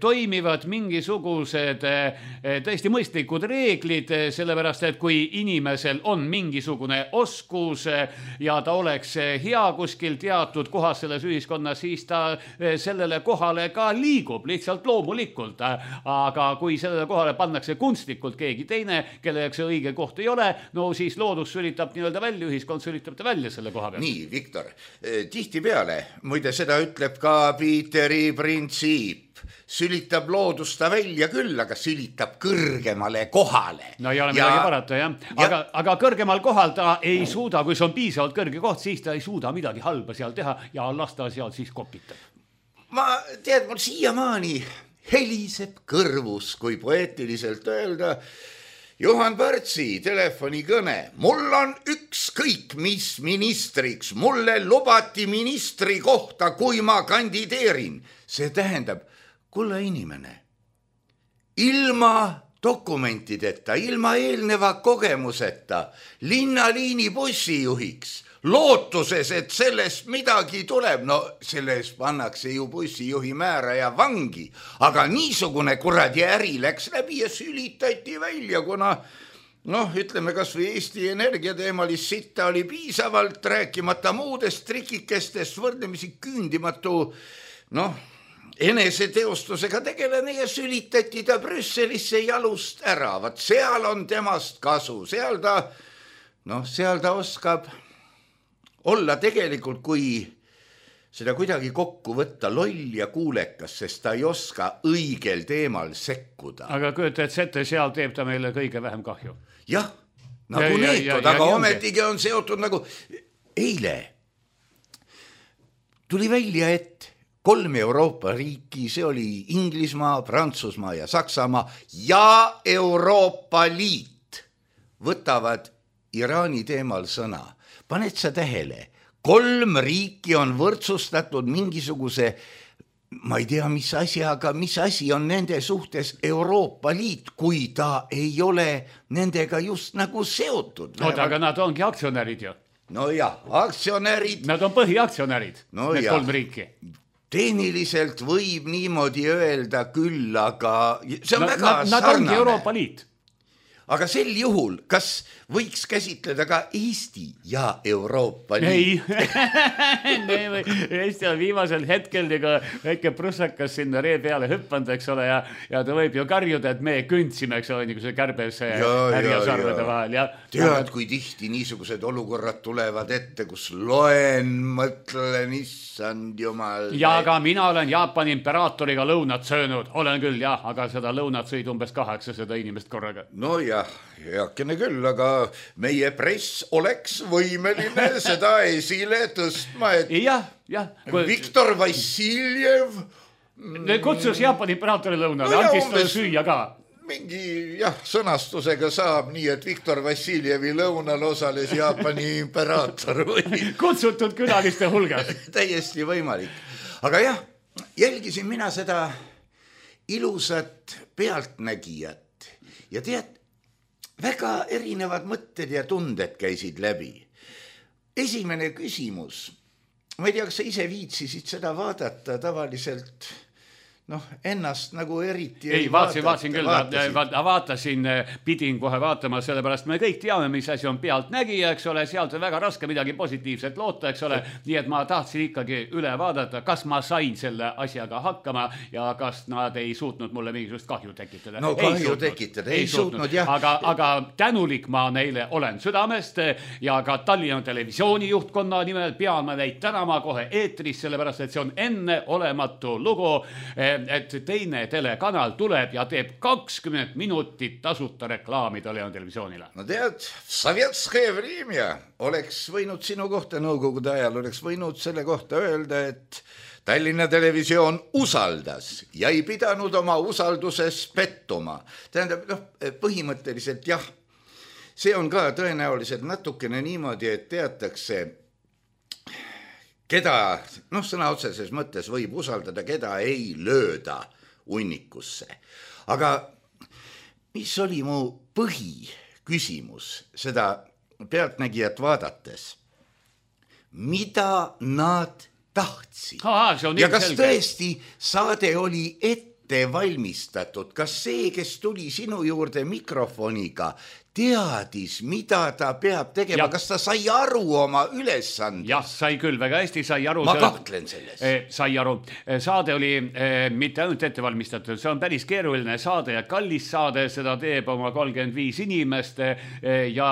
toimivad mingisugused tõesti mõistlikud reeglid, sellepärast, et kui inimesel on mingisugune oskus ja ta oleks hea kuskil teatud kohas selles ühiskonnas, siis ta sellele kohale ka liigub lihtsalt loomulikult, aga kui sellele kohale pannakse kunstlikult keegi teine, kelleks see õige koht ei ole, no siis loodus sülitab nii-öelda välja, ühiskond sülitab ta välja selle koha peal. Nii, Viktor, tihtipeale, muide seda ütleb ka Piiteri printsiip, sülitab loodusta välja küll, aga sülitab kõrgemale kohale. No ei ole midagi parata, jah. Aga kõrgemal kohal ta ei suuda, kui see on piisavalt kõrge koht, siis ta ei suuda midagi halba seal teha ja lasta seal siis kopitab. Ma tead, mul siiamaani heliseb kõrvus, kui poeetiliselt öelda, Juhan Partsi telefonikõne. Mul on ükskõik mis ministriks, mulle lubati ministri kohta, kui ma kandideerin. See tähendab, kulla inimene, ilma dokumentideta, ilma eelneva kogemuseta linnaliini bussijuhiks lootuses, et sellest midagi tuleb. No selles pannakse ju bussijuhi määraja vangi, aga niisugune kuradi äri läks läbi ja sülitati välja, kuna ütleme kas või Eesti Energia teemalist sitta oli piisavalt, rääkimata muudest trikikestest, võrdlemisi küündimatu eneseteostusega tegelane ja sülitati ta Brüsselisse jalust ära. Vaat seal on temast kasu, seal ta oskab olla tegelikult, kui seda kuidagi kokku võtta, loll ja kuulekas, sest ta ei oska õigel teemal sekkuda. Aga kujutad ette, seal teeb ta meile kõige vähem kahju. Jah, nagu neetod, aga ometigi on seotud nagu eile tuli välja, et 3 Euroopa riiki, see oli Inglismaa, Prantsusmaa ja Saksamaa ja Euroopa Liit võtavad Iraani teemal sõna. Paned sa tähele, 3 riiki on võrdsustatud mingisuguse, ma ei tea, mis asi, aga mis asi on nende suhtes Euroopa Liit, kui ta ei ole nendega just nagu seotud. Aga nad ongi aktsionärid ju. No jah, aktsionärid. Nad on põhiaktsionärid, need 3 riiki. Tehniliselt võib niimoodi öelda küll, aga see on väga sarnane. Nad ongi Euroopa Liit. Aga sel juhul, kas võiks käsitleda ka Eesti ja Euroopa Liit? Ei, Eesti on viimasel hetkel nagu väike prussakas sinna ree peale hüppanud, eks ole, ja ta võib ju karjuda, et me kündsime, eks ole, nagu see kärbes härjasarvede vahel. Tead, kui tihti niisugused olukorrad tulevad ette, kus loen, mõtlen, issand jumal. Ja aga mina olen Jaapani imperaatoriga lõunat söönud, olen küll, jah, aga seda lõunat sõid umbes 800 inimest korraga. No jah, heakene küll, aga meie press oleks võimeline seda esile tõstma, et Viktor Vassiljev kutsus Jaapani imperaatori lõunale, andis talle süüa ka. Mingi sõnastusega saab nii, et Viktor Vassiljevi lõunal osales Jaapani imperaator või kutsutud külaliste hulgas. Täiesti võimalik. Aga jah, jälgisin mina seda ilusat pealtnägijat ja tead, väga erinevad mõtted ja tunded käisid läbi. Esimene küsimus. Ma ei tea, kas sa ise viitsisid seda vaadata tavaliselt, ennast nagu eriti ei vaatasin küll, vaatasin, pidin kohe vaatama, sellepärast me kõik teame, mis asi on pealtnägija, eks ole, sealt on väga raske midagi positiivset loota, eks ole, nii et ma tahtsin ikkagi üle vaadata, kas ma sain selle asjaga hakkama ja kas nad ei suutnud mulle mingisugust kahju tekitada. No kahju tekitada, ei suutnud, jah. Aga tänulik ma neile olen südamest ja ka Tallinna televisiooni juhtkonna nimel pean ma neid tänama kohe eetris, sellepärast et see on enneolematu lugu, et teine telekanal tuleb ja teeb 20 minutit tasuta reklaami Tallinna televisioonile. No tead, sovetskое время oleks võinud sinu kohta nõukogude ajal, oleks võinud selle kohta öelda, et Tallinna televisioon usaldas ja ei pidanud oma usalduses pettuma. Tähendab, põhimõtteliselt jah, see on ka tõenäoliselt natukene niimoodi, et teatakse, keda, sõna otseses mõttes võib usaldada, keda ei lööda unnikusse. Aga mis oli mu põhiküsimus seda pealtnägijat vaadates? Mida nad tahtsid? Ja kas tõesti saade oli ette valmistatud? Kas see, kes tuli sinu juurde mikrofoniga, teadis, mida ta peab tegema, kas ta sai aru oma ülesandest? Jah, sai küll, väga hästi sai aru. Ma kahtlen selles. Sai aru. Saade oli mitte ainult ette valmistatud, see on päris keeruline saade ja kallis saade, seda teeb oma 35 inimest ja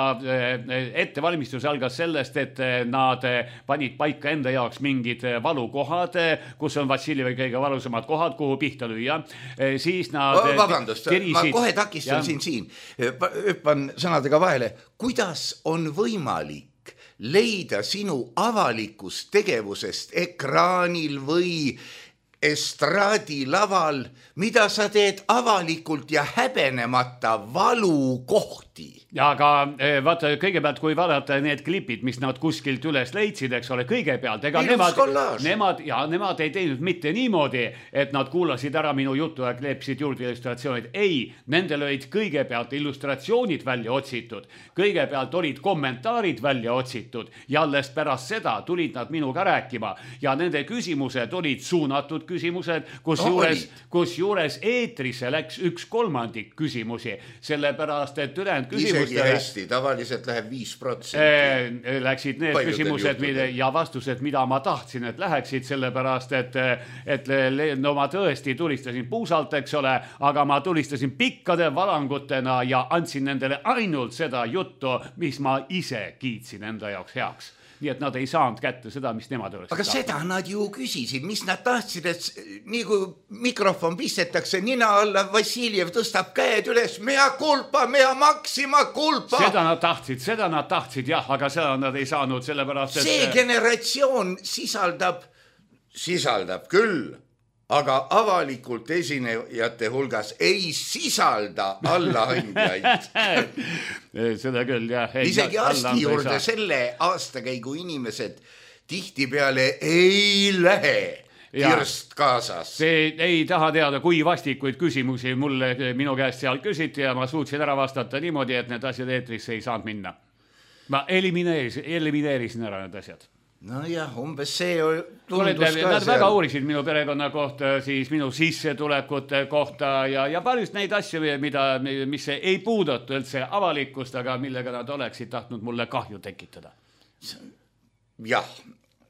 ettevalmistus algas sellest, et nad panid paika enda jaoks mingid valukohad, kus on Vassiljevi kõige valusamad kohad, kuhu pihta lüüa. Siis nad vabandust, ma kohe takistan siin. Hüppan sõnadega vahele. Kuidas on võimalik leida sinu avalikust tegevusest ekraanil või estraadilaval, mida sa teed avalikult ja häbenemata valukohti. Ja aga vaata, kõigepealt kui vaadata need klipid, mis nad kuskilt üles leidsid, eks ole, kõigepealt, ega nemad ei teinud mitte niimoodi, et nad kuulasid ära minu jutu ja kleepsid juurde illustratsioonid. Ei, nendel olid kõigepealt illustratsioonid välja otsitud, kõigepealt olid kommentaarid välja otsitud ja alles pärast seda tulid nad minuga rääkima ja nende küsimused olid suunatud küsimused, kusjuures eetrisse läks 1/3 küsimusi, sellepärast et ülejäänud küsimus hästi, tavaliselt läheb 5%. Läksid need küsimused ja vastused, mida ma tahtsin, et läheksid, sellepärast, et no ma tõesti tulistasin puusalt, eks ole, aga ma tulistasin pikkade valangutena ja andsin nendele ainult seda juttu, mis ma ise kiitsin enda jaoks heaks. Nii et nad ei saanud kätte seda, mis nemad oleksid. Aga seda nad ju küsisid, mis nad tahtsid, et nii kui mikrofon pistetakse nina alla, Vassiljev tõstab käed üles, mea culpa, mea maxima culpa. Seda nad tahtsid, jah, aga seda nad ei saanud, sellepärast, et see generatsioon sisaldab küll, aga avalikult esinejate hulgas ei sisalda allaandjaid. Seda küll, jah. Isegi arsti juurde selle aastakäigu inimesed tihtipeale ei lähe kirst kaasas. Ei taha teada, kui vastikuid küsimusi minu käest seal küsiti ja ma suutsin ära vastata niimoodi, et need asjad eetrisse ei saanud minna. Ma elimineerisin ära need asjad. No jah, umbes see tundus ka seal. Nad väga uurisid minu perekonna kohta, siis minu sissetulekute kohta ja paljust neid asju, mis ei puudata üldse avalikkust, aga millega nad oleksid tahtnud mulle kahju tekitada. Jah,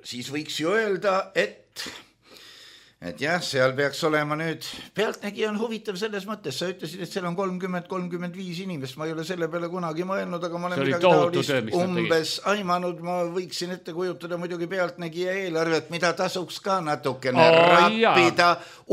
siis võiks ju öelda, et jah, seal peaks olema nüüd, Pealtnägija on huvitav selles mõttes, sa ütlesid, et seal on 30-35 inimest, ma ei ole selle peale kunagi mõelnud, aga ma olen midagi taolist umbes aimanud, ma võiksin ette kujutada muidugi Pealtnägija eelarvet, mida tasuks ka natukene rappida,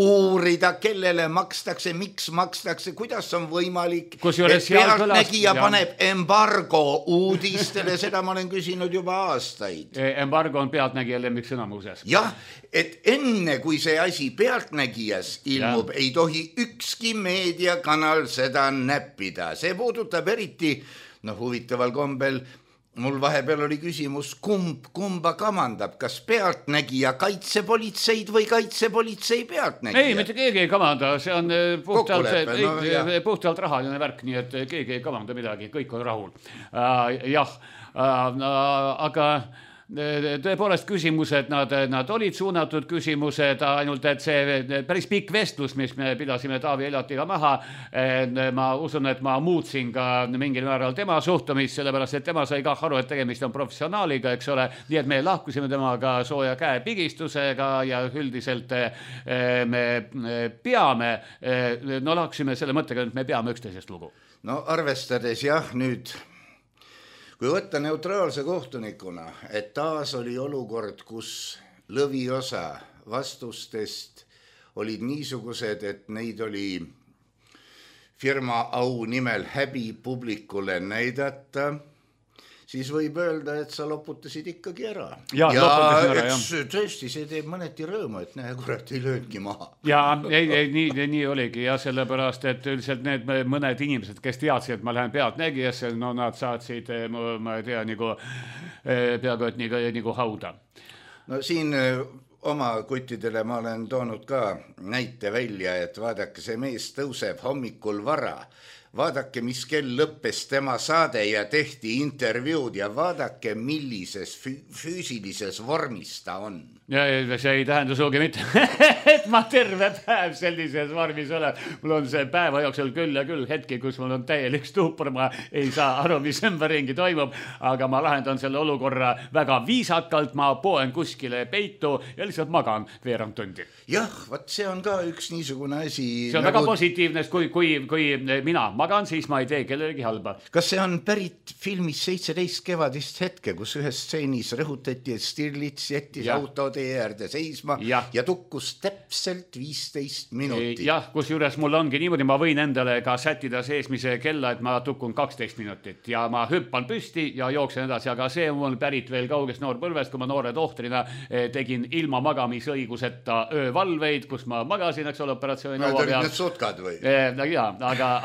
uurida, kellele makstakse, miks makstakse, kuidas on võimalik, et Pealtnägija paneb embargo uudistele, seda ma olen küsinud juba aastaid. Embargo on Pealtnägija lemmiksõna muuseas. Jah, et enne kui see asi Pealtnägijas ilmub, ei tohi ükski meediakanal seda näppida. See puudutab eriti, huvitaval kombel, mul vahepeal oli küsimus, kumba kamandab, kas Pealtnägija kaitsepolitseid või kaitsepolitsei Pealtnägija? Ei, mitte keegi ei kamanda, see on puhtalt rahaline värk, nii et keegi ei kamanda midagi, kõik on rahul. Jah, aga tõepoolest küsimused, nad olid suunatud küsimused, ainult et see päris pikk vestlus, mis me pidasime Taavi Eljatiga maha, ma usun, et ma muutsin ka mingil määral tema suhtumist, sellepärast et tema sai ka aru, et tegemist on professionaaliga, eks ole, nii et me lahkusime temaga sooja käe pigistusega ja üldiselt me peame, lahkusime selle mõttega, et me peame üksteisest lugu. No arvestades jah nüüd, kui võtta neutraalse kohtunikuna, et taas oli olukord, kus lõviosa vastustest olid niisugused, et neid oli firma au nimel häbi publikule näidata, siis võib öelda, et sa loputasid ikkagi ära. Ja tõesti, see teeb mõneti rõõmu, et näe, kurat ei löödki maha. Ja nii oligi ja sellepärast, et üldiselt need mõned inimesed, kes teadsid, et ma lähen Pealtnägijasse, nad saatsid, ma ei tea, peaaegu et nagu hauda. No siin oma kuttidele ma olen toonud ka näite välja, et vaadake, see mees tõuseb hommikul vara. Vaadake, mis kell lõppes tema saade ja tehti intervjuud ja vaadake, millises füüsilises vormis ta on. Ja see ei tähenda suugi mitte, et ma terve päev sellises vormis olen. Mul on see päeva jooksul küll ja küll hetki, kus mul on täielik stuupor, ma ei saa aru, mis ümberringi toimub, aga ma lahendan selle olukorra väga viisakalt, ma poen kuskile peitu ja lihtsalt magan veerand tundi. Jah, vaat see on ka üks niisugune asi. See on väga positiivne, kui mina magan, siis ma ei tee kellelegi halba. Kas see on pärit filmis 17 kevadist hetke, kus ühes stseenis rõhutati, et Stirlitz jättis auto tee äärde seisma ja tukkus täpselt 15 minutit. Jah, kus juures mul ongi niimoodi, ma võin endale ka sättida seesmise kella, et ma tukun 12 minutit ja ma hüppan püsti ja jooksen edasi, aga see on mul pärit veel kaugest noorpõlvest, kui ma noore tohtrina tegin ilma magamisõiguseta öövalveid, kus ma magasin, eks ole, operatsiooni laua peal. Need sutkad või? Jaa,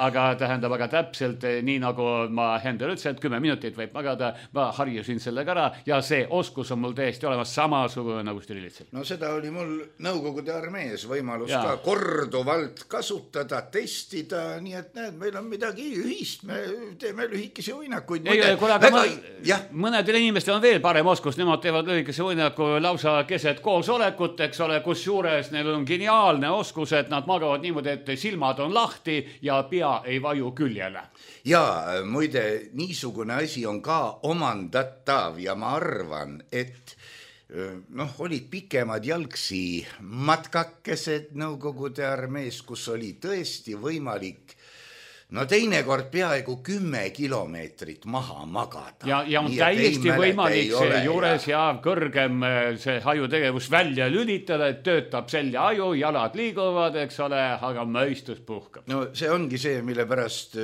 aga tähendab, aga täpselt nii nagu ma Hendel ütlesin, et 10 minutit võib magada, ma harjusin sellega ära ja see oskus on mul täiesti olemas samasugune nagu Stirlitzil. No seda oli mul Nõukogude armees võimalus ka korduvalt kasutada, testida, nii et näed, meil on midagi ühist, me teeme lühikesi uinakuid. Mõnedel inimestel on veel parem oskus, nemad teevad lühikese uinaku lausa keset koosolekut, eks ole, kus juures neil on geniaalne oskus, et nad magavad niimoodi, et silmad on lahti ja pea ei vaju küljele. Ja muide, niisugune asi on ka omandatav ja ma arvan, et olid pikemad jalgsi matkakesed Nõukogude armees, kus oli tõesti võimalik teinekord peaaegu 10 kilomeetrit maha magada. Ja on täiesti võimalik see juures ja kõrgem see hajutegevus välja lülitada, et töötab selja aju, jalad liiguvad, eks ole, aga mõistus puhkab. No see ongi see, mille pärast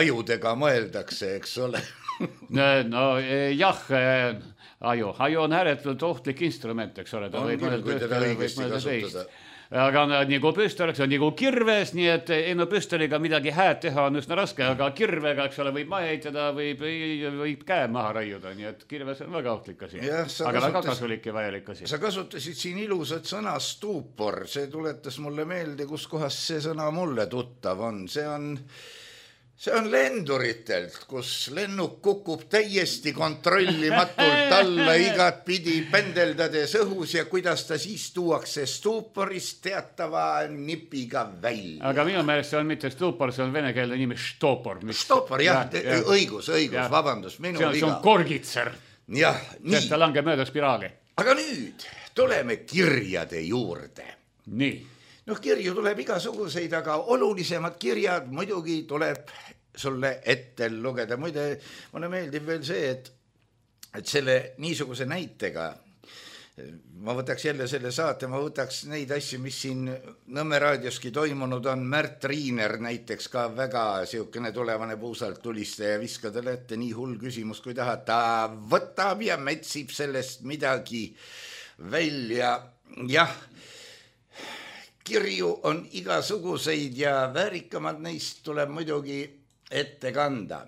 ajudega mõeldakse, eks ole. Aju on ääretult ohtlik instrument, eks ole, ta võib mõelda teist. Aga nagu püstoliks on nagu kirves, nii et püstoliga midagi hääd teha on üsna raske, aga kirvega, eks ole, võib maha heitada, võib käe maha raiuda, nii et kirves on väga ohtlik asi. Aga väga kasulik ja vajalik asi. Sa kasutasid siin ilusat sõna stuupor, see tuletas mulle meelde, kus kohas see sõna mulle tuttav on. See on lenduritelt, kus lennuk kukub täiesti kontrollimatult alla igat pidi pendeldades õhus ja kuidas ta siis tuuakse stuuporist teatava nipiga välja. Aga minu meelest see on mitte stuupor, see on venekeelne nimi Stopor. Stopor, jah, õigus, vabandust, minu viga. See on korgitser. Jah, nii. Ta langeb mööda spiraali. Aga nüüd tuleme kirjade juurde. Nii. Kirju tuleb igasuguseid, aga olulisemad kirjad muidugi tuleb sulle ette lugeda. Muide, mulle meeldib veel see, et selle niisuguse näitega ma võtaks jälle selle saate, ma võtaks neid asju, mis siin Nõmme raadioski toimunud on. Märt Riiner näiteks ka väga siukene tulevane puusalt tulistaja, viskadele ette nii hull küsimus, kui tahad. Ta võtab ja metsib sellest midagi välja. Jah, kirju on igasuguseid ja väärikamad neist tuleb muidugi ette kanda.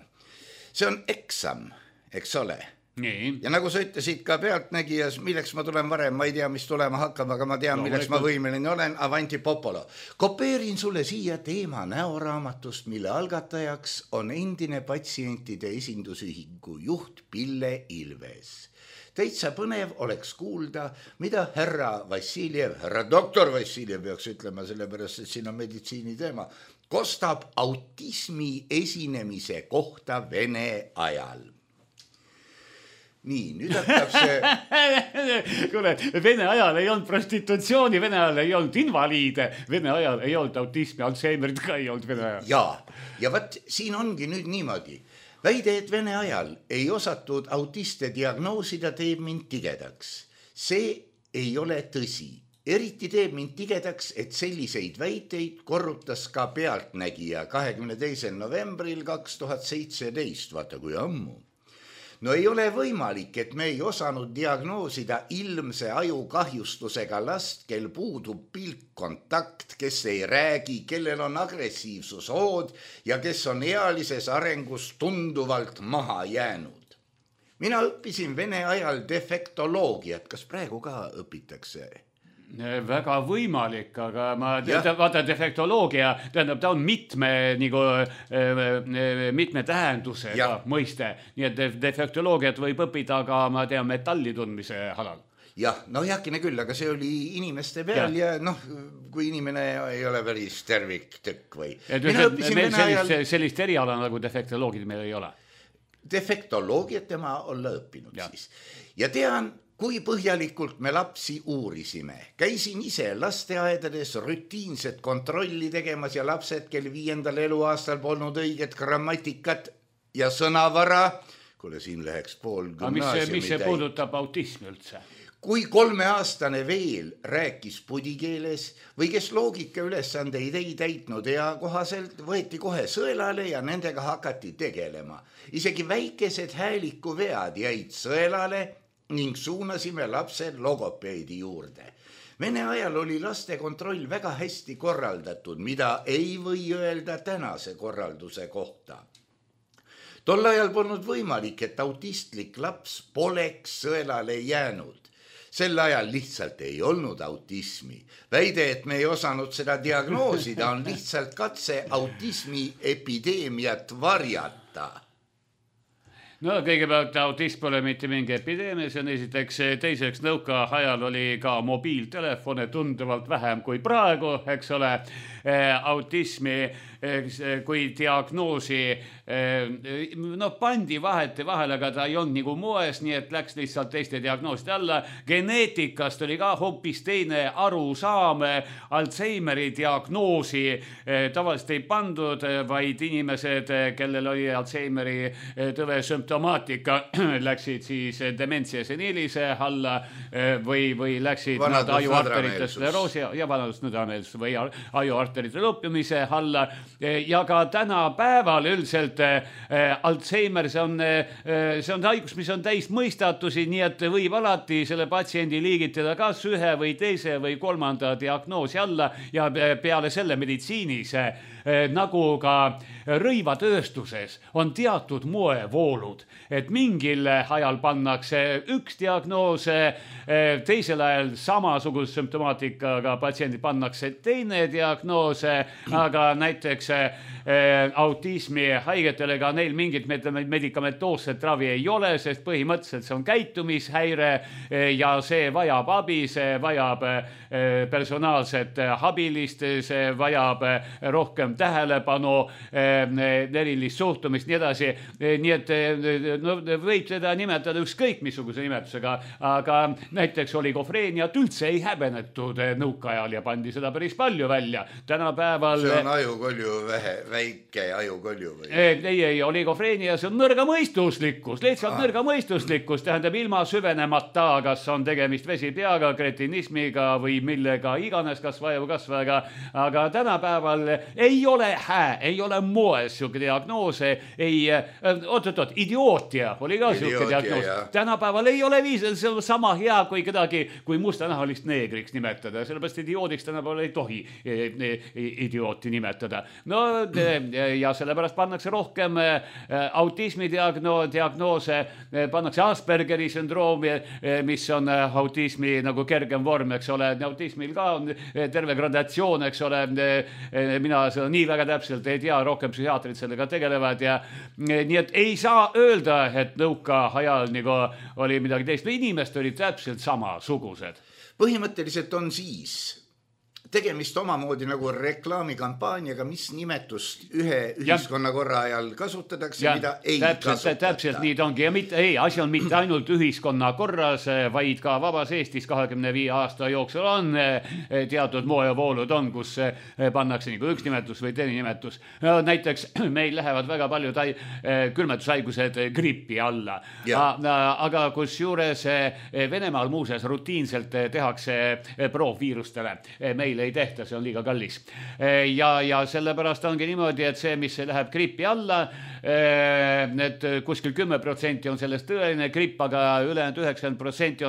See on eksam, eks ole. Nii. Ja nagu sa ütlesid ka pealtnägijas, milleks ma tulen varem, ma ei tea, mis tulema hakkab, aga ma tean, milleks ma võimeline olen. Avanti Popolo. Kopeerin sulle siia teema näoraamatust, mille algatajaks on endine patsientide esindusühingu juht Pille Ilves. Täitsa põnev oleks kuulda, mida härra Vassiljev, härra doktor Vassiljev peaks ütlema, sellepärast, et siin on meditsiini teema, kostab autismi esinemise kohta Vene ajal. Nii, nüüd hakkab see... Kuule, Vene ajal ei olnud prostitutsiooni, Vene ajal ei olnud invaliide, Vene ajal ei olnud autismi, Alzheimerit ka ei olnud Vene ajal. Ja võt, siin ongi nüüd niimoodi. Väide, et Vene ajal ei osatud autiste diagnoosida, teeb mind tigedaks. See ei ole tõsi. Eriti teeb mind tigedaks, et selliseid väiteid korrutas ka pealtnägija 22. novembril 2017, vaata kui ammu. No ei ole võimalik, et me ei osanud diagnoosida ilmse ajukahjustusega last, kel puudub pilkkontakt, kes ei räägi, kellel on agressiivsushood ja kes on ealises arengus tunduvalt maha jäänud. Mina õppisin Vene ajal defektoloogiat, kas praegu ka õpitakse? Väga võimalik, aga vaata defektoloogia, tähendab, ta on mitme tähendusega mõiste, nii et defektoloogiat võib õppida ka, ma tean, metalli tundmise alal. Jah, jääkine küll, aga see oli inimeste peal ja kui inimene ei ole päris terviktükk või. Sellist eriala nagu defektoloogid meil ei ole. Defektoloogiat tema olla õppinud siis. Ja tean, kui põhjalikult me lapsi uurisime. Käisin ise lasteaedades rutiinset kontrolli tegemas ja lapsed, kel 5. eluaastal polnud õiget grammatikat ja sõnavara, kuule siin läheks pool gümnaasiumi mis see puudutab autismi üldse? Kui 3-aastane veel rääkis pudikeeles või kes loogika ülesandeid ei täitnud ja kohaselt võeti kohe sõelale ja nendega hakati tegelema. Isegi väikesed häälikuvead jäid sõelale ning suunasime lapsed logopeedi juurde. Vene ajal oli laste kontroll väga hästi korraldatud, mida ei või öelda tänase korralduse kohta. Tol ajal polnud võimalik, et autistlik laps poleks sõelale jäänud. Sel ajal lihtsalt ei olnud autismi. Väide, et me ei osanud seda diagnoosida, on lihtsalt katse autismi epideemiat varjata. No kõigepealt autism pole mitte mingi epideemia, see on esiteks, teiseks nõukaajal oli ka mobiiltelefone tunduvalt vähem kui praegu, eks ole, autismi kui diagnoosi pandi vahete vahel, aga ta ei olnud nagu moes, nii et läks lihtsalt teiste diagnooside alla. Geneetikast oli ka hoopis teine arusaam, Alzheimeri diagnoosi tavaliselt ei pandud, vaid inimesed, kellel oli Alzheimeri tõve sümptomaatika, läksid siis dementsia seniilise alla või läksid ajuarterite skleroosi ja vanadusnõdameelsus või ajuarterite lõppimise alla. Ja ka tänapäeval üldiselt Alzheimer, see on haigus, mis on täis mõistatusi, nii et võib alati selle patsiendi liigitada kas ühe või teise või kolmanda diagnoosi alla ja peale selle meditsiinis nagu ka rõivatööstuses on teatud moevoolud, et mingil ajal pannakse üks diagnoos, teisel ajal samasuguse sümptomaatikaga patsiendid pannakse teine diagnoos, aga näiteks autismi haigetele ka neil mingit medikamentoosset ravi ei ole, sest põhimõtteliselt see on käitumishäire ja see vajab abi, see vajab personaalset abilist, see vajab rohkem tähelepanu, erilist suhtumist, nii edasi. Nii et võib seda nimetada ükskõik missuguse nimetusega, aga näiteks oligofreeniat üldse ei häbenetud nõukaajal ja pandi seda päris palju välja. Tänapäeval... See on ajukolju väike ajukolju või? Ei, oligofreenia, see on nõrgamõistuslikkus, lihtsalt nõrgamõistuslikkus, tähendab ilma süvenemata, kas on tegemist vesipeaga, kretinismiga või millega iganes kasvajaga, aga tänapäeval ei ole moes siuke diagnoos, idiootia oli ka siuke diagnoos. Tänapäeval ei ole viis, see on sama hea kui kedagi, kui mustanahalist neegriks nimetada, sellepärast idioodiks tänapäeval ei tohi idiooti nimetada. No ja sellepärast pannakse rohkem autismi diagnoose, pannakse Aspergeri sündroomi, mis on autismi nagu kergem vorm, eks ole, autismil ka on terve gradatsioon, eks ole, mina seda nii väga täpselt ei tea, rohkem psühhiaatrid sellega tegelevad ja nii et ei saa öelda, et nõukaajal nagu oli midagi teist, inimesed olid täpselt samasugused. Põhimõtteliselt on siis tegemist omamoodi nagu reklaamikampaaniaga, mis nimetust ühe ühiskonnakorra ajal kasutatakse, mida ei kasutata. Täpselt nii ta ongi. Ja asi on mitte ainult ühiskonnakorras, vaid ka vabas Eestis 25 aasta jooksul on teatud moevoolud on, kus pannakse nagu üks nimetus või teine nimetus. Näiteks meil lähevad väga paljud külmetushaigused gripi alla. Aga kus juures Venemaal muuseas rutiinselt tehakse proovviirustele. Meil ei tehta, see on liiga kallis. Ja sellepärast ongi niimoodi, et see, mis läheb gripi alla, et kuskil 10% on sellest tõeline gripp, aga ülejäänud 90%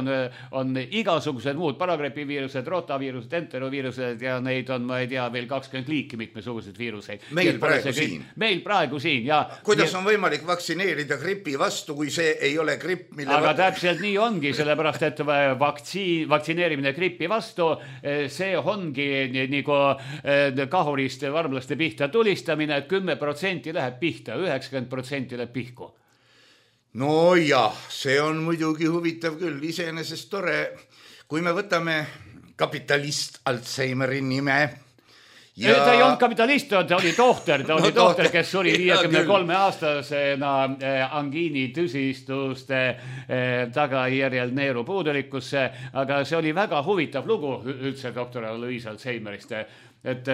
on igasugused muud paragripiviirused, rotaviirused, enteroviirused ja neid on, ma ei tea, veel 20 liiki mitmesuguseid viiruseid. Meil praegu siin. Ja kuidas on võimalik vaktsineerida gripi vastu, kui see ei ole gripp, mille... Aga täpselt nii ongi, sellepärast, et vaktsineerimine gripi vastu, see ongi nagu kahurist varmlaste pihta tulistamine, et 10% läheb pihta, 90% läheb pihku. No jah, see on muidugi huvitav küll, iseenesest tore, kui me võtame kapitalist Alzheimeri nime Ta ei olnud kapitalist, ta oli tohter, kes suri 53-aastasena angiini tüsistuste tagajärjel neeru puudulikkusse, aga see oli väga huvitav lugu üldse doktor Alois Alzheimerist. Et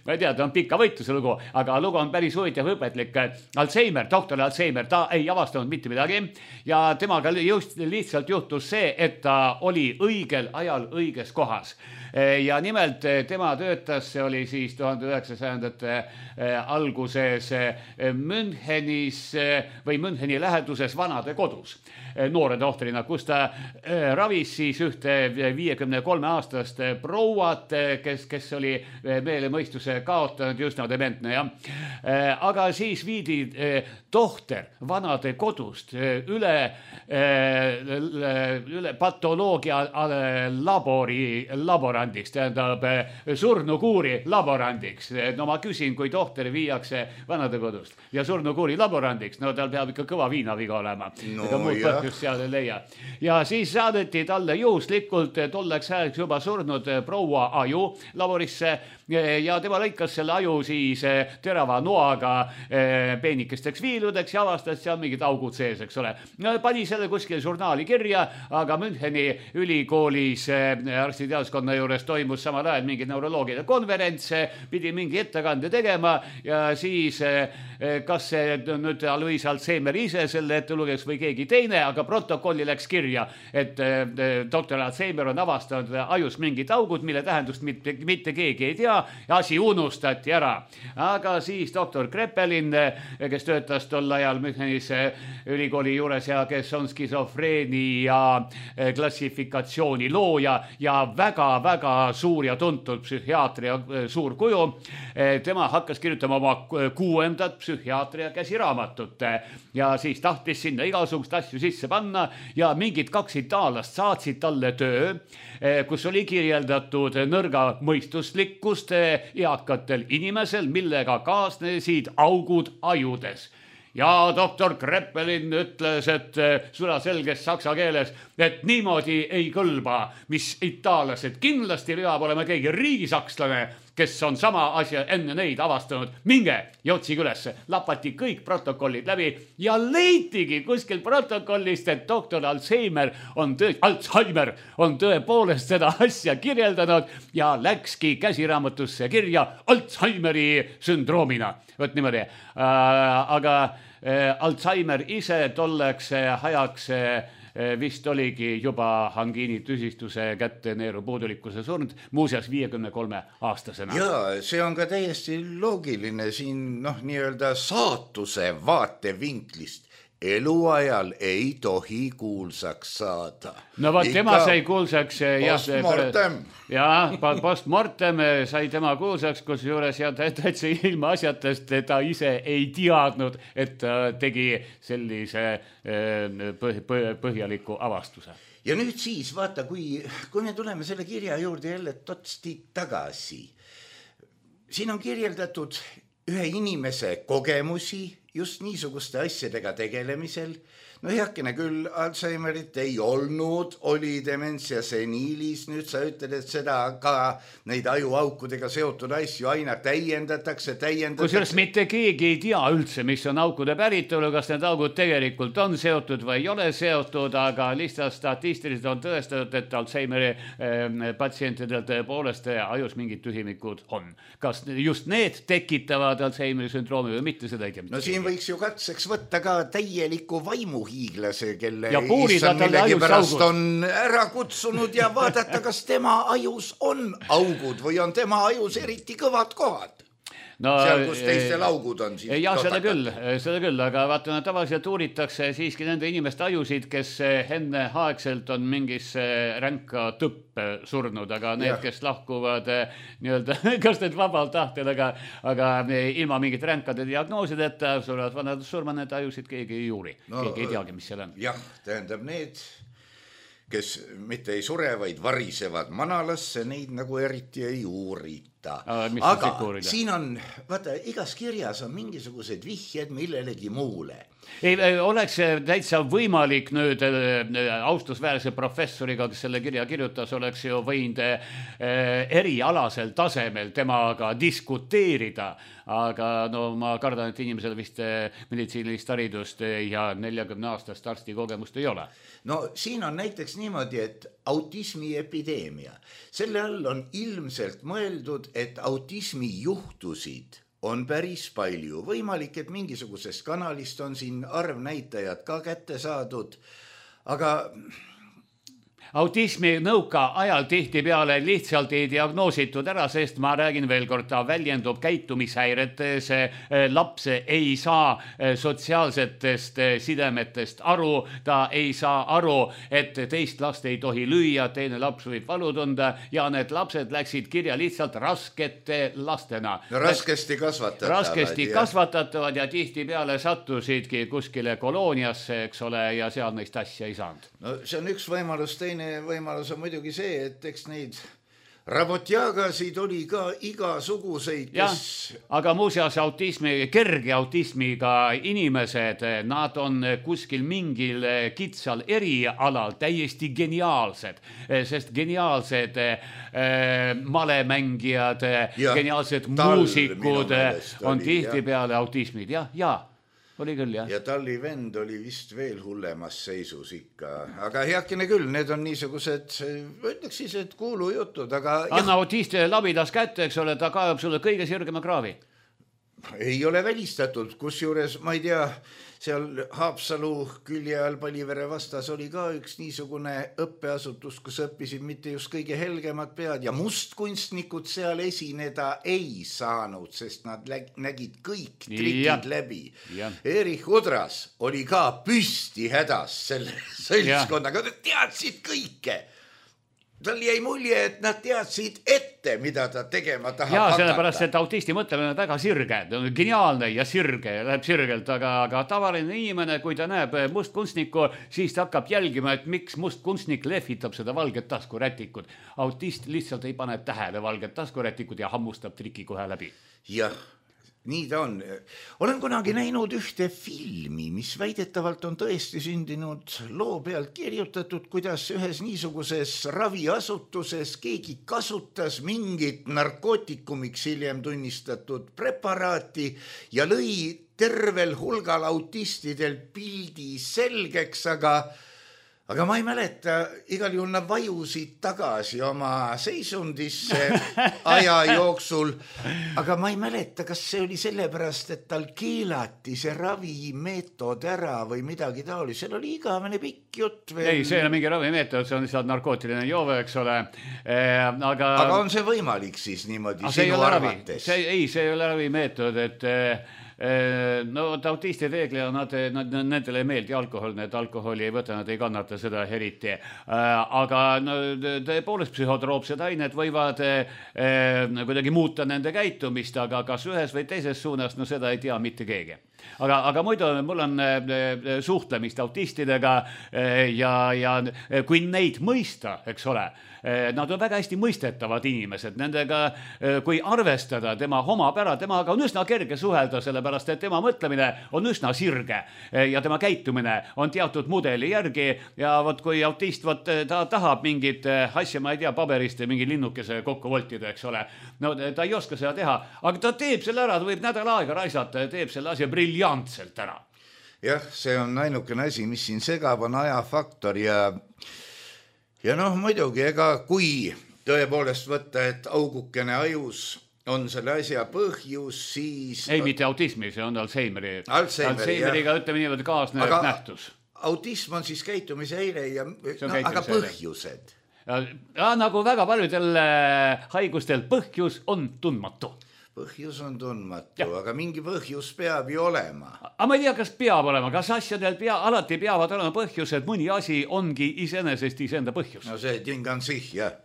ma ei tea, ta on pika võitluse lugu, aga lugu on päris huvitav õpetlik. Alzheimer, doktor Alzheimer, ta ei avastanud mitte midagi ja temaga lihtsalt juhtus see, et ta oli õigel ajal õiges kohas. Ja nimelt tema töötas, see oli siis 1900-ndate alguses Münchenis või Müncheni läheduses vanade kodus noore tohtrina, kus ta ravis siis ühte 53-aastast prouat, kes oli meelemõistuse kaotanud, just nagu dementne, jah. Aga siis viidi tohter vanade kodust üle patoloogia laborandiks, tähendab surnukuuri laborandiks. No ma küsin, kui tohter viiakse vanade kodust ja surnukuuri laborandiks, no tal peab ikka kõva viinaviga olema. Ega muud põhjust seal ei leia. Ja siis saadeti talle juhuslikult tolleks ajaks juba surnud proua aju laborisse ja tema lõikas selle aju siis terava noaga peenikesteks viiludeks ja avastas seal mingid augud sees, eks ole. Pani selle kuskile žurnaali kirja, aga Müncheni ülikoolis arstiteaduskonna juures toimus samal ajal mingi neuroloogide konverents, pidi mingi ettekande tegema ja siis kas see nüüd Alois Alzheimer ise selle ette lugeks või keegi teine, aga protokolli läks kirja, et doktor Alzheimer on avastanud ajus mingid augud, mille tähendust mitte keegi ei tea ja asi unustati ära. Aga siis doktor Kreppelin, kes töötas tol ajal Münchenis ülikooli juures ja kes on skisofreenia klassifikatsiooni looja ja väga-väga suur ja tuntud psühhiaatria suur kuju, tema hakkas kirjutama oma 6. psühhiaatria käsiraamatut ja siis tahtis sinna igasugust asju sisse panna ja mingid 2 itaallast saatsid talle töö, kus oli kirjeldatud nõrga mõistuslikkust eakatel inimesel, millega kaasnesid augud ajudes. Ja doktor Kreppelin ütles, et sulaselges saksa keeles, et niimoodi ei kõlba, mis itaallased kindlasti peab olema keegi riigisakslane, kes on sama asja enne neid avastanud. Minge ja otsige üles. Lapati kõik protokollid läbi ja leitigi kuskil protokollist, et doktor Alzheimer on tõepoolest seda asja kirjeldanud ja läkski käsiraamatusse kirja Alzheimeri sündroomina. Võt niimoodi. Aga Alzheimer ise tolleks ajaks vist oligi juba angiini tüsistuse kätte neeru puudulikkuse surnud, muuseas 53-aastasena. Ja see on ka täiesti loogiline siin nii-öelda saatuse vaatevinklist. Eluajal ei tohi kuulsaks saada. No vaat tema sai kuulsaks postmortem. Postmortem sai tema kuulsaks, kus juures täitsa ilma asjatest ta ise ei teadnud, et ta tegi sellise põhjaliku avastuse. Ja nüüd siis vaata, kui me tuleme selle kirja juurde jälle totsti tagasi. Siin on kirjeldatud ühe inimese kogemusi just niisuguste asjadega tegelemisel. No heakene küll, Alzheimerit ei olnud, oli dementsia seniilis, nüüd sa ütled, et seda ka neid ajuaukudega seotud asju aina täiendatakse. Kusjuures mitte keegi ei tea üldse, mis on aukude päritolu, kas need augud tegelikult on seotud või ei ole seotud, aga lihtsalt statistiliselt on tõestatud, et Alzheimeri patsientidel tõepoolest ajus mingid tühimikud on. Kas just need tekitavad Alzheimeri sündroomi või mitte, seda ei tea. No siin võiks ju katseks võtta ka täieliku vaimuhiiglase, kelle issand millegipärast on ära kutsunud ja vaadata, kas tema ajus on augud või on tema ajus eriti kõvad kohad. No, seal, kus teistel augud on. Jah, seda küll, aga vaatame, tavaliselt uuritakse siiski nende inimeste ajusid, kes enne aegselt on mingisse ränka tõppe surnud, aga need, kes lahkuvad nii-öelda, kas need vabalt tahtel, aga ilma mingit ränkade diagnoosideta surevad vanad surma, need ajusid keegi ei uuri. Keegi ei teagi, mis seal on. Jah, tähendab need, kes mitte ei sure, vaid varisevad manalasse, neid nagu eriti ei uurita. aga siin on, vaata, igas kirjas on mingisugused vihjed millelegi muule. Ei, oleks täitsa võimalik nüüd austusväärse professoriga, kes selle kirja kirjutas, oleks ju võinud erialasel tasemel temaga diskuteerida, aga no ma kardan, et inimesel vist meditsiinilist haridust ja 40-aastast arstikogemust ei ole. No siin on näiteks niimoodi, et autismi epideemia. Selle all on ilmselt mõeldud, et autismi juhtusid on päris palju. Võimalik, et mingisugusest kanalist on siin arvnäitajad ka kätte saadud, aga autismi nõuka ajal tihti peale lihtsalt ei diagnoositud ära, sest ma räägin veel kord, ta väljendub käitumishäiretes, laps ei saa sotsiaalsetest sidemetest aru, ta ei saa aru, et teist last ei tohi lüüa, teine laps võib valu tunda ja need lapsed läksid kirja lihtsalt raskete lastena. No raskesti kasvatatavad. Raskesti kasvatatavad ja tihti peale sattusidki kuskile kolooniasse, eks ole, ja seal neist asja ei saanud. No see on üks võimalus, teine võimalus on muidugi see, et eks neid rabotjagasid oli ka igasuguseid, kes... Aga muuseas kerge autismiga inimesed, nad on kuskil mingil kitsal erialal täiesti geniaalsed, sest geniaalsed malemängijad, geniaalsed muusikud on tihtipeale autismid, ja oli küll, jah. Ja Talli vend oli vist veel hullemas seisus ikka. Aga heakene küll, need on niisugused, ütleks siis, et kuulujutud, aga... Anna autist labidas kätte, eks ole, ta kaevab sulle kõige sirgema kraavi. Ei ole välistatud, kusjuures, ma ei tea, seal Haapsalu külje all Palivere vastas oli ka üks niisugune õppeasutus, kus õppisid mitte just kõige helgemad pead ja mustkunstnikud seal esineda ei saanud, sest nad nägid kõik trikid läbi. Erich Udras oli ka püsti hädas selle seltskonnaga, nad teadsid kõike. Tal jäi mulje, et nad teadsid ette, mida ta tegema tahab hakata. Sellepärast, et autisti mõtlemine on väga sirge, geniaalne ja sirge, läheb sirgelt, aga tavaline inimene, kui ta näeb mustkunstnikku, siis ta hakkab jälgima, et miks mustkunstnik lehvitab seda valget taskurätikut. Autist lihtsalt ei pane tähele valget taskurätikut ja hammustab triki kohe läbi. Jah. Nii ta on. Olen kunagi näinud ühte filmi, mis väidetavalt on tõesti sündinud loo pealt kirjutatud, kuidas ühes niisuguses raviasutuses keegi kasutas mingit narkootikumiks hiljem tunnistatud preparaati ja lõi tervel hulgal autistidel pildi selgeks, aga ma ei mäleta, igal juhul nad vajusid tagasi oma seisundisse aja jooksul, aga ma ei mäleta, kas see oli sellepärast, et tal keelati see ravimeetod ära või midagi taoli. Seal oli igavene pikk jutt veel. Ei, see ei ole mingi ravimeetod, see on lihtsalt narkootiline joove, eks ole. Aga on see võimalik siis niimoodi sinu arvates? Ei, see ei ole ravimeetod, et... No autisti reeglina nendele ei meeldi alkohol, need alkoholi ei võta, nad ei kannata seda eriti, aga tõepoolest psühhotroopsed ained võivad kuidagi muuta nende käitumist, aga kas ühes või teises suunas, no seda ei tea mitte keegi. Aga muidu mul on suhtlemist autistidega ja kui neid mõista, eks ole, nad on väga hästi mõistetavad inimesed, nendega kui arvestada tema omapära, temaga on üsna kerge suhelda, sellepärast et tema mõtlemine on üsna sirge ja tema käitumine on teatud mudeli järgi ja võt kui autist ta tahab mingit asja, ma ei tea, paberist mingi linnukese kokku voltida, eks ole, no ta ei oska seda teha, aga ta teeb selle ära, ta võib nädal aega raisata ja teeb selle asja briljantselt ära. Jah, see on ainukene asi, mis siin segab, on ajafaktor ja noh, muidugi, ega kui tõepoolest võtta, et augukene ajus on selle asja põhjus, siis... Ei, mitte autismi, see on Alzheimeriga, ütleme niimoodi kaasnev nähtus. Autism on siis käitumishäire aga põhjused? Nagu väga paljudel haigustel põhjus on tundmatu. Põhjus on tundmatu, aga mingi põhjus peab ju olema. Aga ma ei tea, kas peab olema, kas asjadel alati peavad olema põhjused, mõni asi ongi iseenesest iseenda põhjus. No see ting on sih, jah.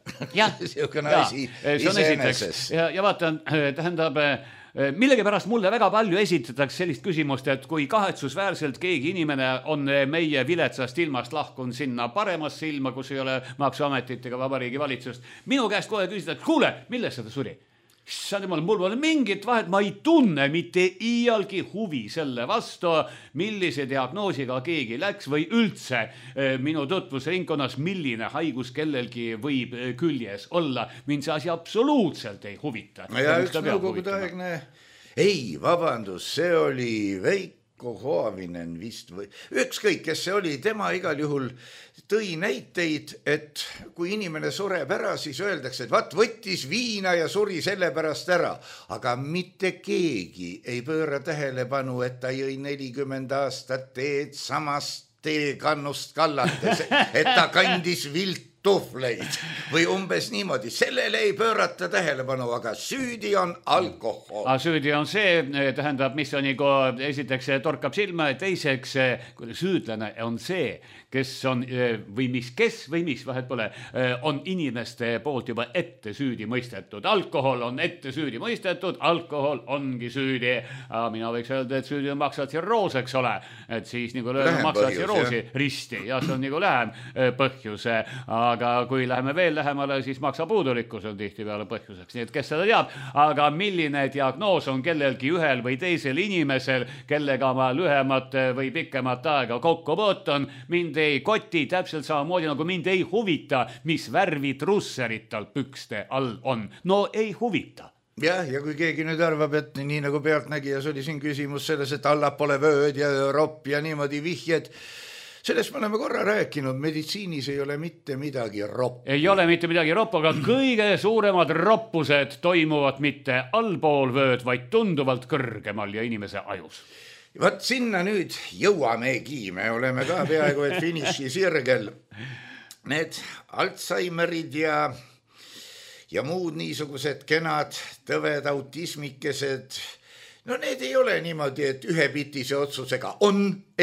Siukene asi iseenesest. Ja vaatan, tähendab, millegipärast mulle väga palju esitatakse sellist küsimust, et kui kahetsusväärselt keegi inimene on meie viletsast ilmast lahkunud sinna paremasse ilma, kus ei ole maksuametit ega vabariigi valitsust, minu käest kohe küsida, et kuule, millest seda suri? Mul pole mingit vahet, ma ei tunne mitte iialgi huvi selle vastu, millise diagnoosiga keegi läks või üldse minu tutvusringkonnas, milline haigus kellelgi võib küljes olla. Mind see asi absoluutselt ei huvita. Ja üks nõukogudeaegne, ei, vabandus, see oli Veiko Hoavinen vist või ükskõik, kes see oli, tema igal juhul tõi näiteid, et kui inimene sureb ära, siis öeldakse, et vaat võttis viina ja suri selle pärast ära, aga mitte keegi ei pööra tähelepanu, et ta jõi 40 aastat teed samast teekannust kallates, et ta kandis vilttuhvleid või umbes niimoodi. Sellele ei pöörata tähelepanu, aga süüdi on alkohol. Süüdi on see, tähendab, mis on nagu esiteks torkab silma, teiseks süüdlane on see, kes on või mis vahet pole, on inimeste poolt juba ette süüdi mõistetud. Alkohol on ette süüdi mõistetud, alkohol ongi süüdi. Mina võiks öelda, et süüdi on maksavad tsirroos, eks ole. Et siis nagu maksavad tsirroosi risti ja see on nagu lähem põhjus. Aga kui läheme veel lähemale, siis maksapuudulikkus on tihti peale põhjuseks. Nii et kes seda teab, aga milline diagnoos on kellelgi ühel või teisel inimesel, kellega ma lühemat või pikemat aega kokku puutun, mind ei koti täpselt samamoodi, nagu mind ei huvita, mis värvi trusserid tal pükste all on. No ei huvita. Ja kui keegi nüüd arvab, et nii nagu pealtnägijas oli siin küsimus selles, et allapole vööd ja ropp ja niimoodi vihjed, sellest me oleme korra rääkinud, meditsiinis ei ole mitte midagi ropp. Ei ole mitte midagi ropp, aga kõige suuremad roppused toimuvad mitte allpool vööd, vaid tunduvalt kõrgemal ja inimese ajus. Vaat sinna nüüd jõuamegi, me oleme ka peaaegu et finiši sirgel. Need Alzheimerid ja muud niisugused kenad tõved autismikesed, no need ei ole niimoodi, et ühepitise otsusega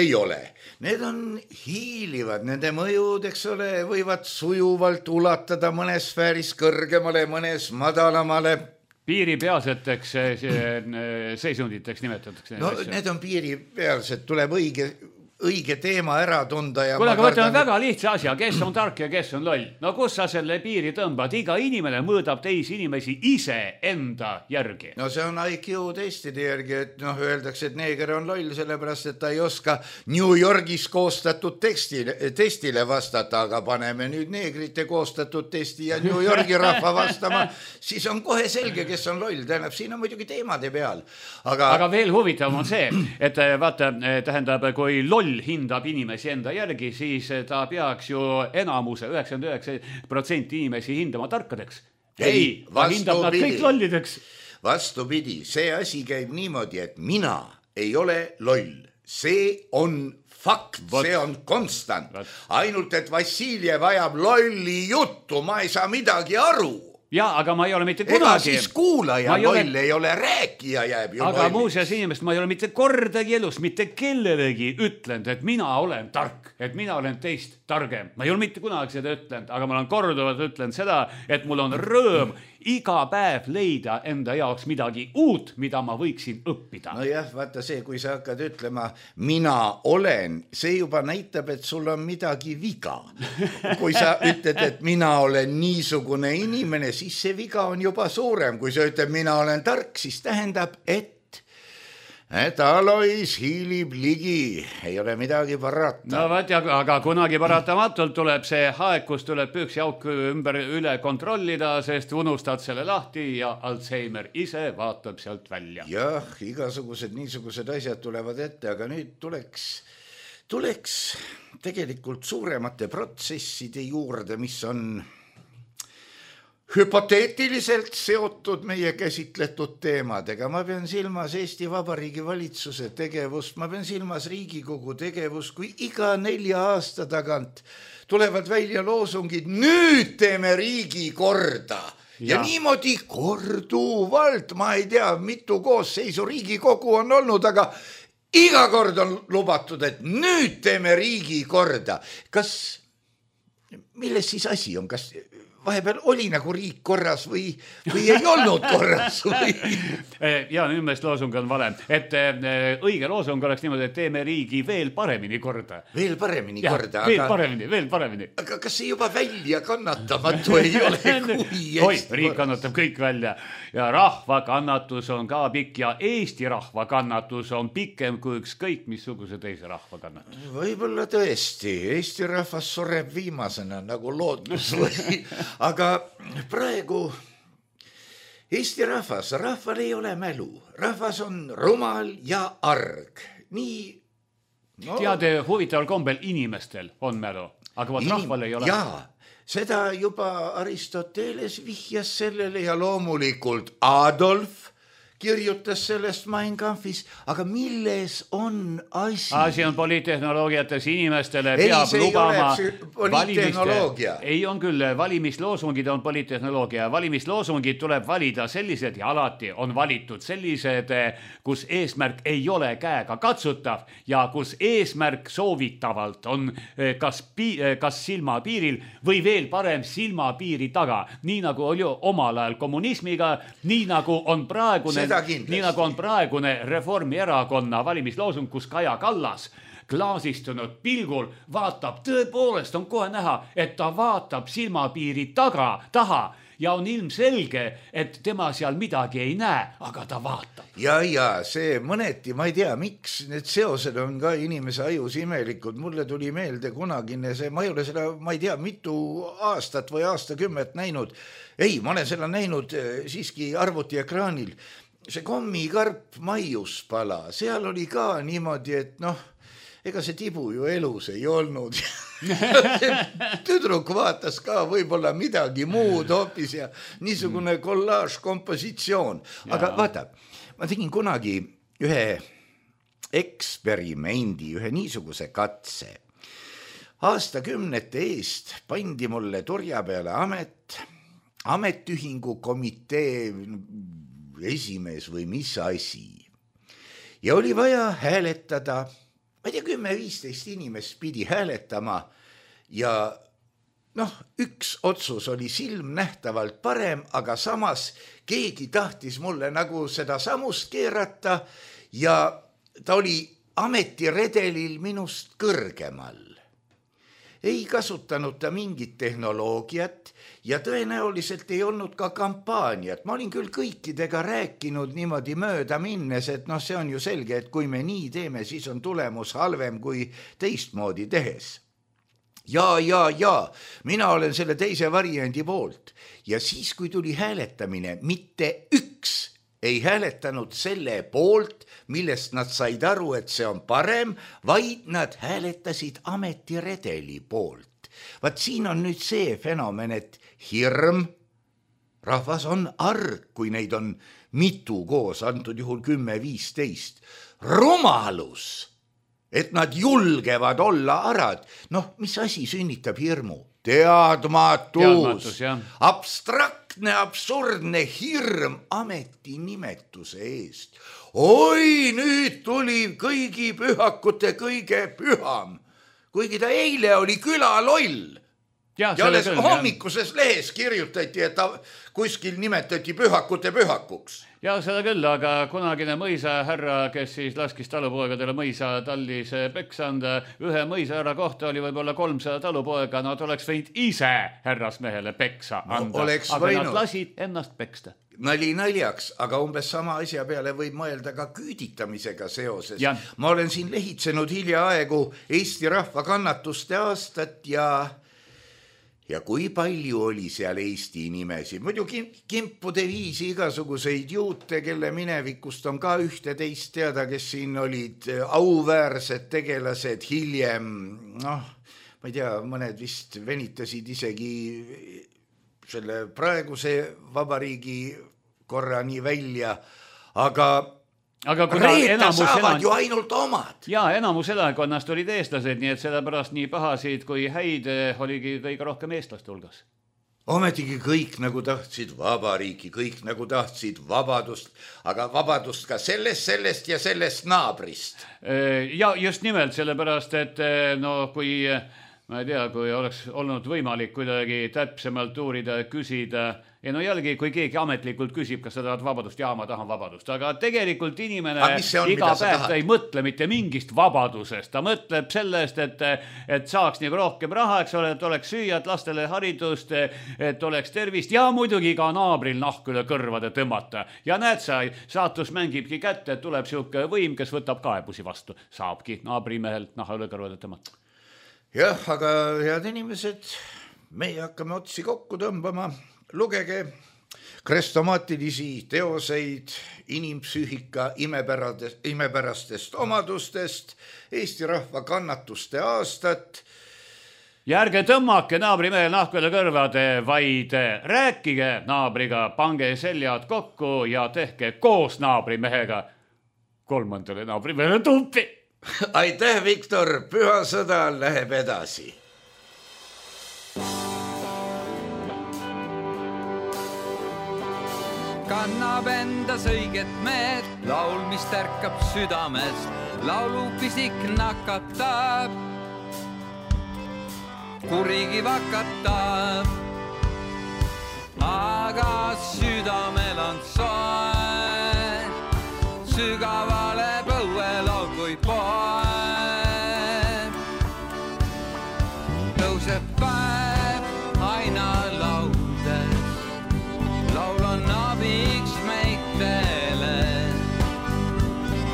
ei ole. Need on hiilivad, nende mõjud, eks ole, võivad sujuvalt ulatada mõnes sfääris kõrgemale, mõnes madalamale. Piiripealseteks seisunditeks nimetatakse. No need on piiripealsed, tuleb õige teema ära tunda. Kuule, aga võtame väga lihtsa asja, kes on tark ja kes on loll. No kus sa selle piiri tõmbad? Iga inimene mõõdab teisi inimesi ise enda järgi. No see on IQ testide järgi, et öeldakse, et neeger on loll, sellepärast, et ta ei oska New Yorgis koostatud testile vastata, aga paneme nüüd neegrite koostatud testi ja New Yorgi rahva vastama, siis on kohe selge, kes on loll. Tähendab, siin on muidugi teemade peal. Aga veel huvitav on see, et vaata, tähendab, kui loll hindab inimesi enda järgi, siis ta peaks ju enamuse 99% inimesi hindama tarkadeks. Ei, ta hindab nad kõik lollideks. Vastupidi, see asi käib niimoodi, et mina ei ole loll. See on fakt, see on konstant. Ainult, et Vassiljev ajab lolli juttu, ma ei saa midagi aru. Ja, aga ma ei ole mitte kunagi. Ega siis kuulaja loll ei ole, rääkija jääb ju aga muuseas inimest, ma ei ole mitte kordagi elus, mitte kellelegi ütlenud, et mina olen tark, et mina olen teist targem. Ma ei ole mitte kunagi seda ütlenud, aga ma olen korduvalt ütlenud seda, et mul on rõõm iga päev leida enda jaoks midagi uut, mida ma võiksin õppida. No jah, vaata see, kui sa hakkad ütlema, mina olen, see juba näitab, et sul on midagi viga. Kui sa ütled, et mina olen niisugune inimene, siis see viga on juba suurem. Kui sa ütled, mina olen tark, siis tähendab, et Alois hiilib ligi, ei ole midagi parata. No vaat, aga kunagi paratamatult tuleb see aeg, kus tuleb püksiauk üle kontrollida, sest unustad selle lahti ja Alzheimer ise vaatab sealt välja. Jah, igasugused niisugused asjad tulevad ette, aga nüüd tuleks tegelikult suuremate protsesside juurde, mis on hüpoteetiliselt seotud meie käsitletud teemadega. Ma pean silmas Eesti Vabariigi valitsuse tegevust, ma pean silmas Riigikogu tegevust, kui iga 4 aasta tagant tulevad välja loosungid, nüüd teeme riigi korda. Ja niimoodi korduvalt, ma ei tea, mitu koosseisu Riigikogu on olnud, aga iga kord on lubatud, et nüüd teeme riigi korda. Milles siis asi on? Kas vahepeal oli nagu riik korras või ei olnud korras või? Ja nüüd meelest loosung on vale, et õige loosung oleks niimoodi, et teeme riigi veel paremini korda. Veel paremini korda. Veel paremini. Aga kas see juba välja kannatamatu ei ole? Oi, riik kannatab kõik välja ja rahva kannatus on ka pikk ja Eesti rahva kannatus on pikem kui ükskõik missuguse teise rahva kannatus. Võib-olla tõesti, Eesti rahvas sureb viimasena nagu loodus või... Aga praegu Eesti rahval ei ole mälu. Rahvas on rumal ja arg. Nii... No, teade, huvitaval kombel inimestel on mälu, aga rahval ei ole. Jaa, seda juba Aristoteles vihjas sellele ja loomulikult Adolf kirjutas sellest Mein Kampfis, aga milles on asi? Asi on poliittehnoloogiates inimestele peab lubama poliittehnoloogia. Ei on küll, valimisloosungid on poliittehnoloogia. Valimisloosungid tuleb valida sellised ja alati on valitud sellised, kus eesmärk ei ole käega katsutav ja kus eesmärk soovitavalt on kas silmapiiril või veel parem silmapiiri taga. Nii nagu oli omal ajal kommunismiga, nii nagu on praegune Reformierakonna valimisloosung, kus Kaja Kallas klaasistunud pilgul vaatab, tõepoolest on kohe näha, et ta vaatab silmapiiri taha ja on ilmselge, et tema seal midagi ei näe, aga ta vaatab. Ja see mõneti, ma ei tea, miks need seosed on ka inimese ajus imelikud. Mulle tuli meelde kunagine see, ma ei ole seda, ma ei tea, mitu aastat või aastakümmet näinud. Ei, ma olen seda näinud siiski arvutiekraanil. See kommikarp Maiuspala, seal oli ka niimoodi, et ega see tibu ju elus ei olnud. Tüdruk vaatas ka võib-olla midagi muud hoopis ja niisugune kollaaž-kompositsioon. Aga vaata, ma tegin kunagi ühe eksperimendi, ühe niisuguse katse. Aastakümnete eest pandi mulle turja peale ametiühingu komitee esimees või mis asi. Ja oli vaja hääletada, ma ei tea, 10-15 inimest pidi hääletama ja üks otsus oli silmnähtavalt parem, aga samas keegi tahtis mulle nagu seda samust keerata ja ta oli ametiredelil minust kõrgemal. Ei kasutanud ta mingit tehnoloogiat ja tõenäoliselt ei olnud ka kampaaniat. Ma olin küll kõikidega rääkinud niimoodi mööda minnes, et see on ju selge, et kui me nii teeme, siis on tulemus halvem kui teistmoodi tehes. Ja, mina olen selle teise variandi poolt. Ja siis, kui tuli hääletamine, mitte üks ei hääletanud selle poolt, millest nad said aru, et see on parem, vaid nad hääletasid ametiredeli poolt. Vaat siin on nüüd see fenomen, et hirm, rahvas on arg, kui neid on mitu koos, antud juhul 10-15. Rumalus, et nad julgevad olla arad. Mis asi sünnitab hirmu? Teadmatus, abstraktne, absurdne hirm ametinimetuse eest. Oi, nüüd tuli kõigi pühakute kõige püham, kuigi ta eile oli külaloll. Ja alles hommikuses lehes kirjutati, et ta kuskil nimetati pühakute pühakuks. Ja seda küll, aga kunagine mõisahärra, kes siis laskis talupoegadele mõisa tallis peksanda, ühe mõisahärra kohta oli võib-olla 300 talupoega, nad oleks võinud ise härrasmehele peksa anda, aga nad lasid ennast peksta. Nali naljaks, aga umbes sama asja peale võib mõelda ka küüditamisega seoses. Ma olen siin lehitsenud hiljaaegu Eesti rahva kannatuste aastat ja kui palju oli seal Eesti nimesi. Muidu kimpude viisi igasuguseid juute, kelle minevikust on ka ühte-teist teada, kes siin olid auväärsed tegelased hiljem. Ma ei tea, mõned vist venitasid isegi selle praeguse vabariigi korrani välja, aga reeta saavad ju ainult omad. Ja enamus elakonnast olid eestlased, nii et sellepärast nii pahasid kui häid oligi kõige rohkem eestlaste hulgas. Ometigi kõik nagu tahtsid vabariiki, kõik nagu tahtsid vabadust, aga vabadust ka sellest ja sellest naabrist. Ja just nimelt sellepärast, et kui ma ei tea, kui oleks olnud võimalik kuidagi täpsemalt uurida ja küsida. Ja no jällegi, kui keegi ametlikult küsib, kas sa tahad vabadust, ma tahan vabadust. Aga tegelikult inimene iga päev ei mõtle mitte mingist vabadusest. Ta mõtleb sellest, et saaks nagu rohkem raha, eks ole, et oleks süüa, et lastele haridust, et oleks tervist ja muidugi ka naabril nahk üle kõrvade tõmmata. Ja näed sa, saatus mängibki kätte, et tuleb siuke võim, kes võtab kaebusi vastu. Saabki naabrimehelt naha üle kõrvade tõmmata. Jah, aga head inimesed, meie hakkame otsi kokku tõmbama. Lugege krestomaatilisi teoseid inimpsüühika imepärastest omadustest, Eesti rahva kannatuste aastat. Ja ärge tõmmake naabrimehel nahku üle kõrvade, vaid rääkige naabriga, pange seljad kokku ja tehke koos naabrimehega 3. naabrimehele tumpi. Aitäh, Viktor, püha sõda läheb edasi. Kannab endas õiget meelt, laul, mis tärkab südamest, laulupisik nakatab, kurigi vakatab, aga südamel on soe, sügavale põuelaul kui poe. Tõuseb päev aina laudes, laul on abiks meitele.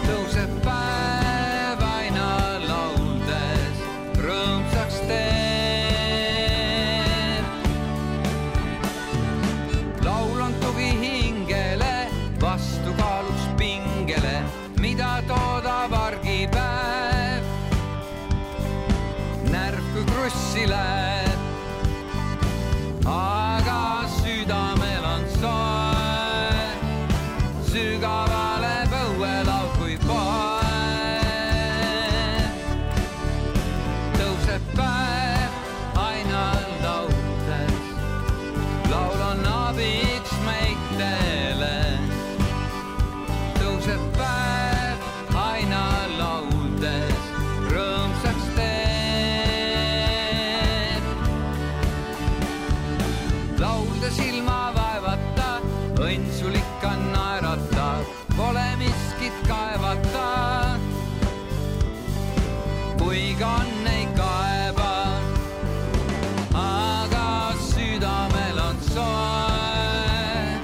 Tõuseb päev aina laudes, rõõmsaks teeb. Laul on tugi hingele, vastukaaluks pingele, mida toodab argipäev. Närv kui krussi läheb, aga südamel on soe, sügavale põuelaul kui poe. Tõuseb päev aina laudes, laul on abiks meitele. Tõuseb päev aina laudes, rõõmsaks teeb. Laulda silma vaevata, õnn sul ikka naerata, pole miskit kaevata. Kuiga on ei kaeba, aga südamel on soe,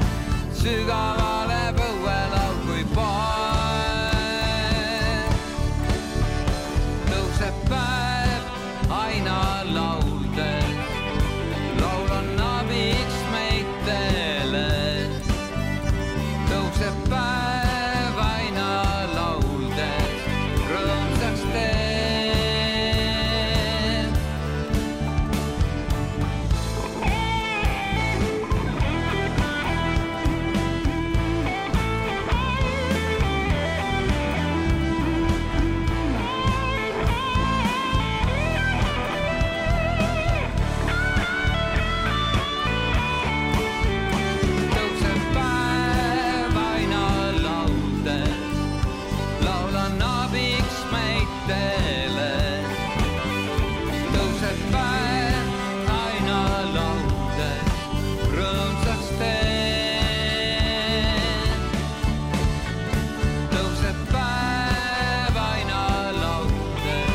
sügavale põuelaul kui poe. Tõuseb päev aina laudes, laul on abiks meitele. Tõuseb päev aina laudes, rõõmsaks teeb. Tõuseb päev aina laudes, laul on abiks meitele. Tõuseb päev aina laudes, rõõmsaks teeb. Tõuseb päev aina laudes,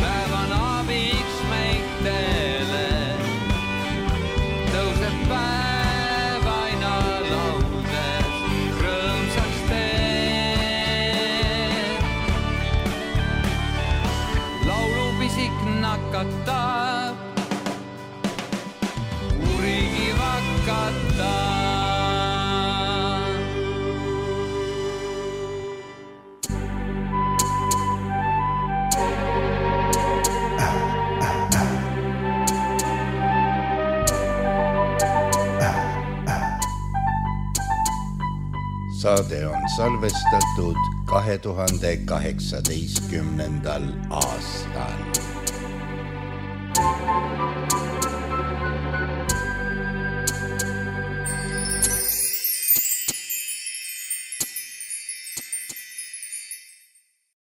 päev on abiks meitele. Tõuseb päev aina laudes, rõõmsaks teeb. Laulupisik nakatab, kurigi vakatab. Saade on salvestatud 2018. aastal.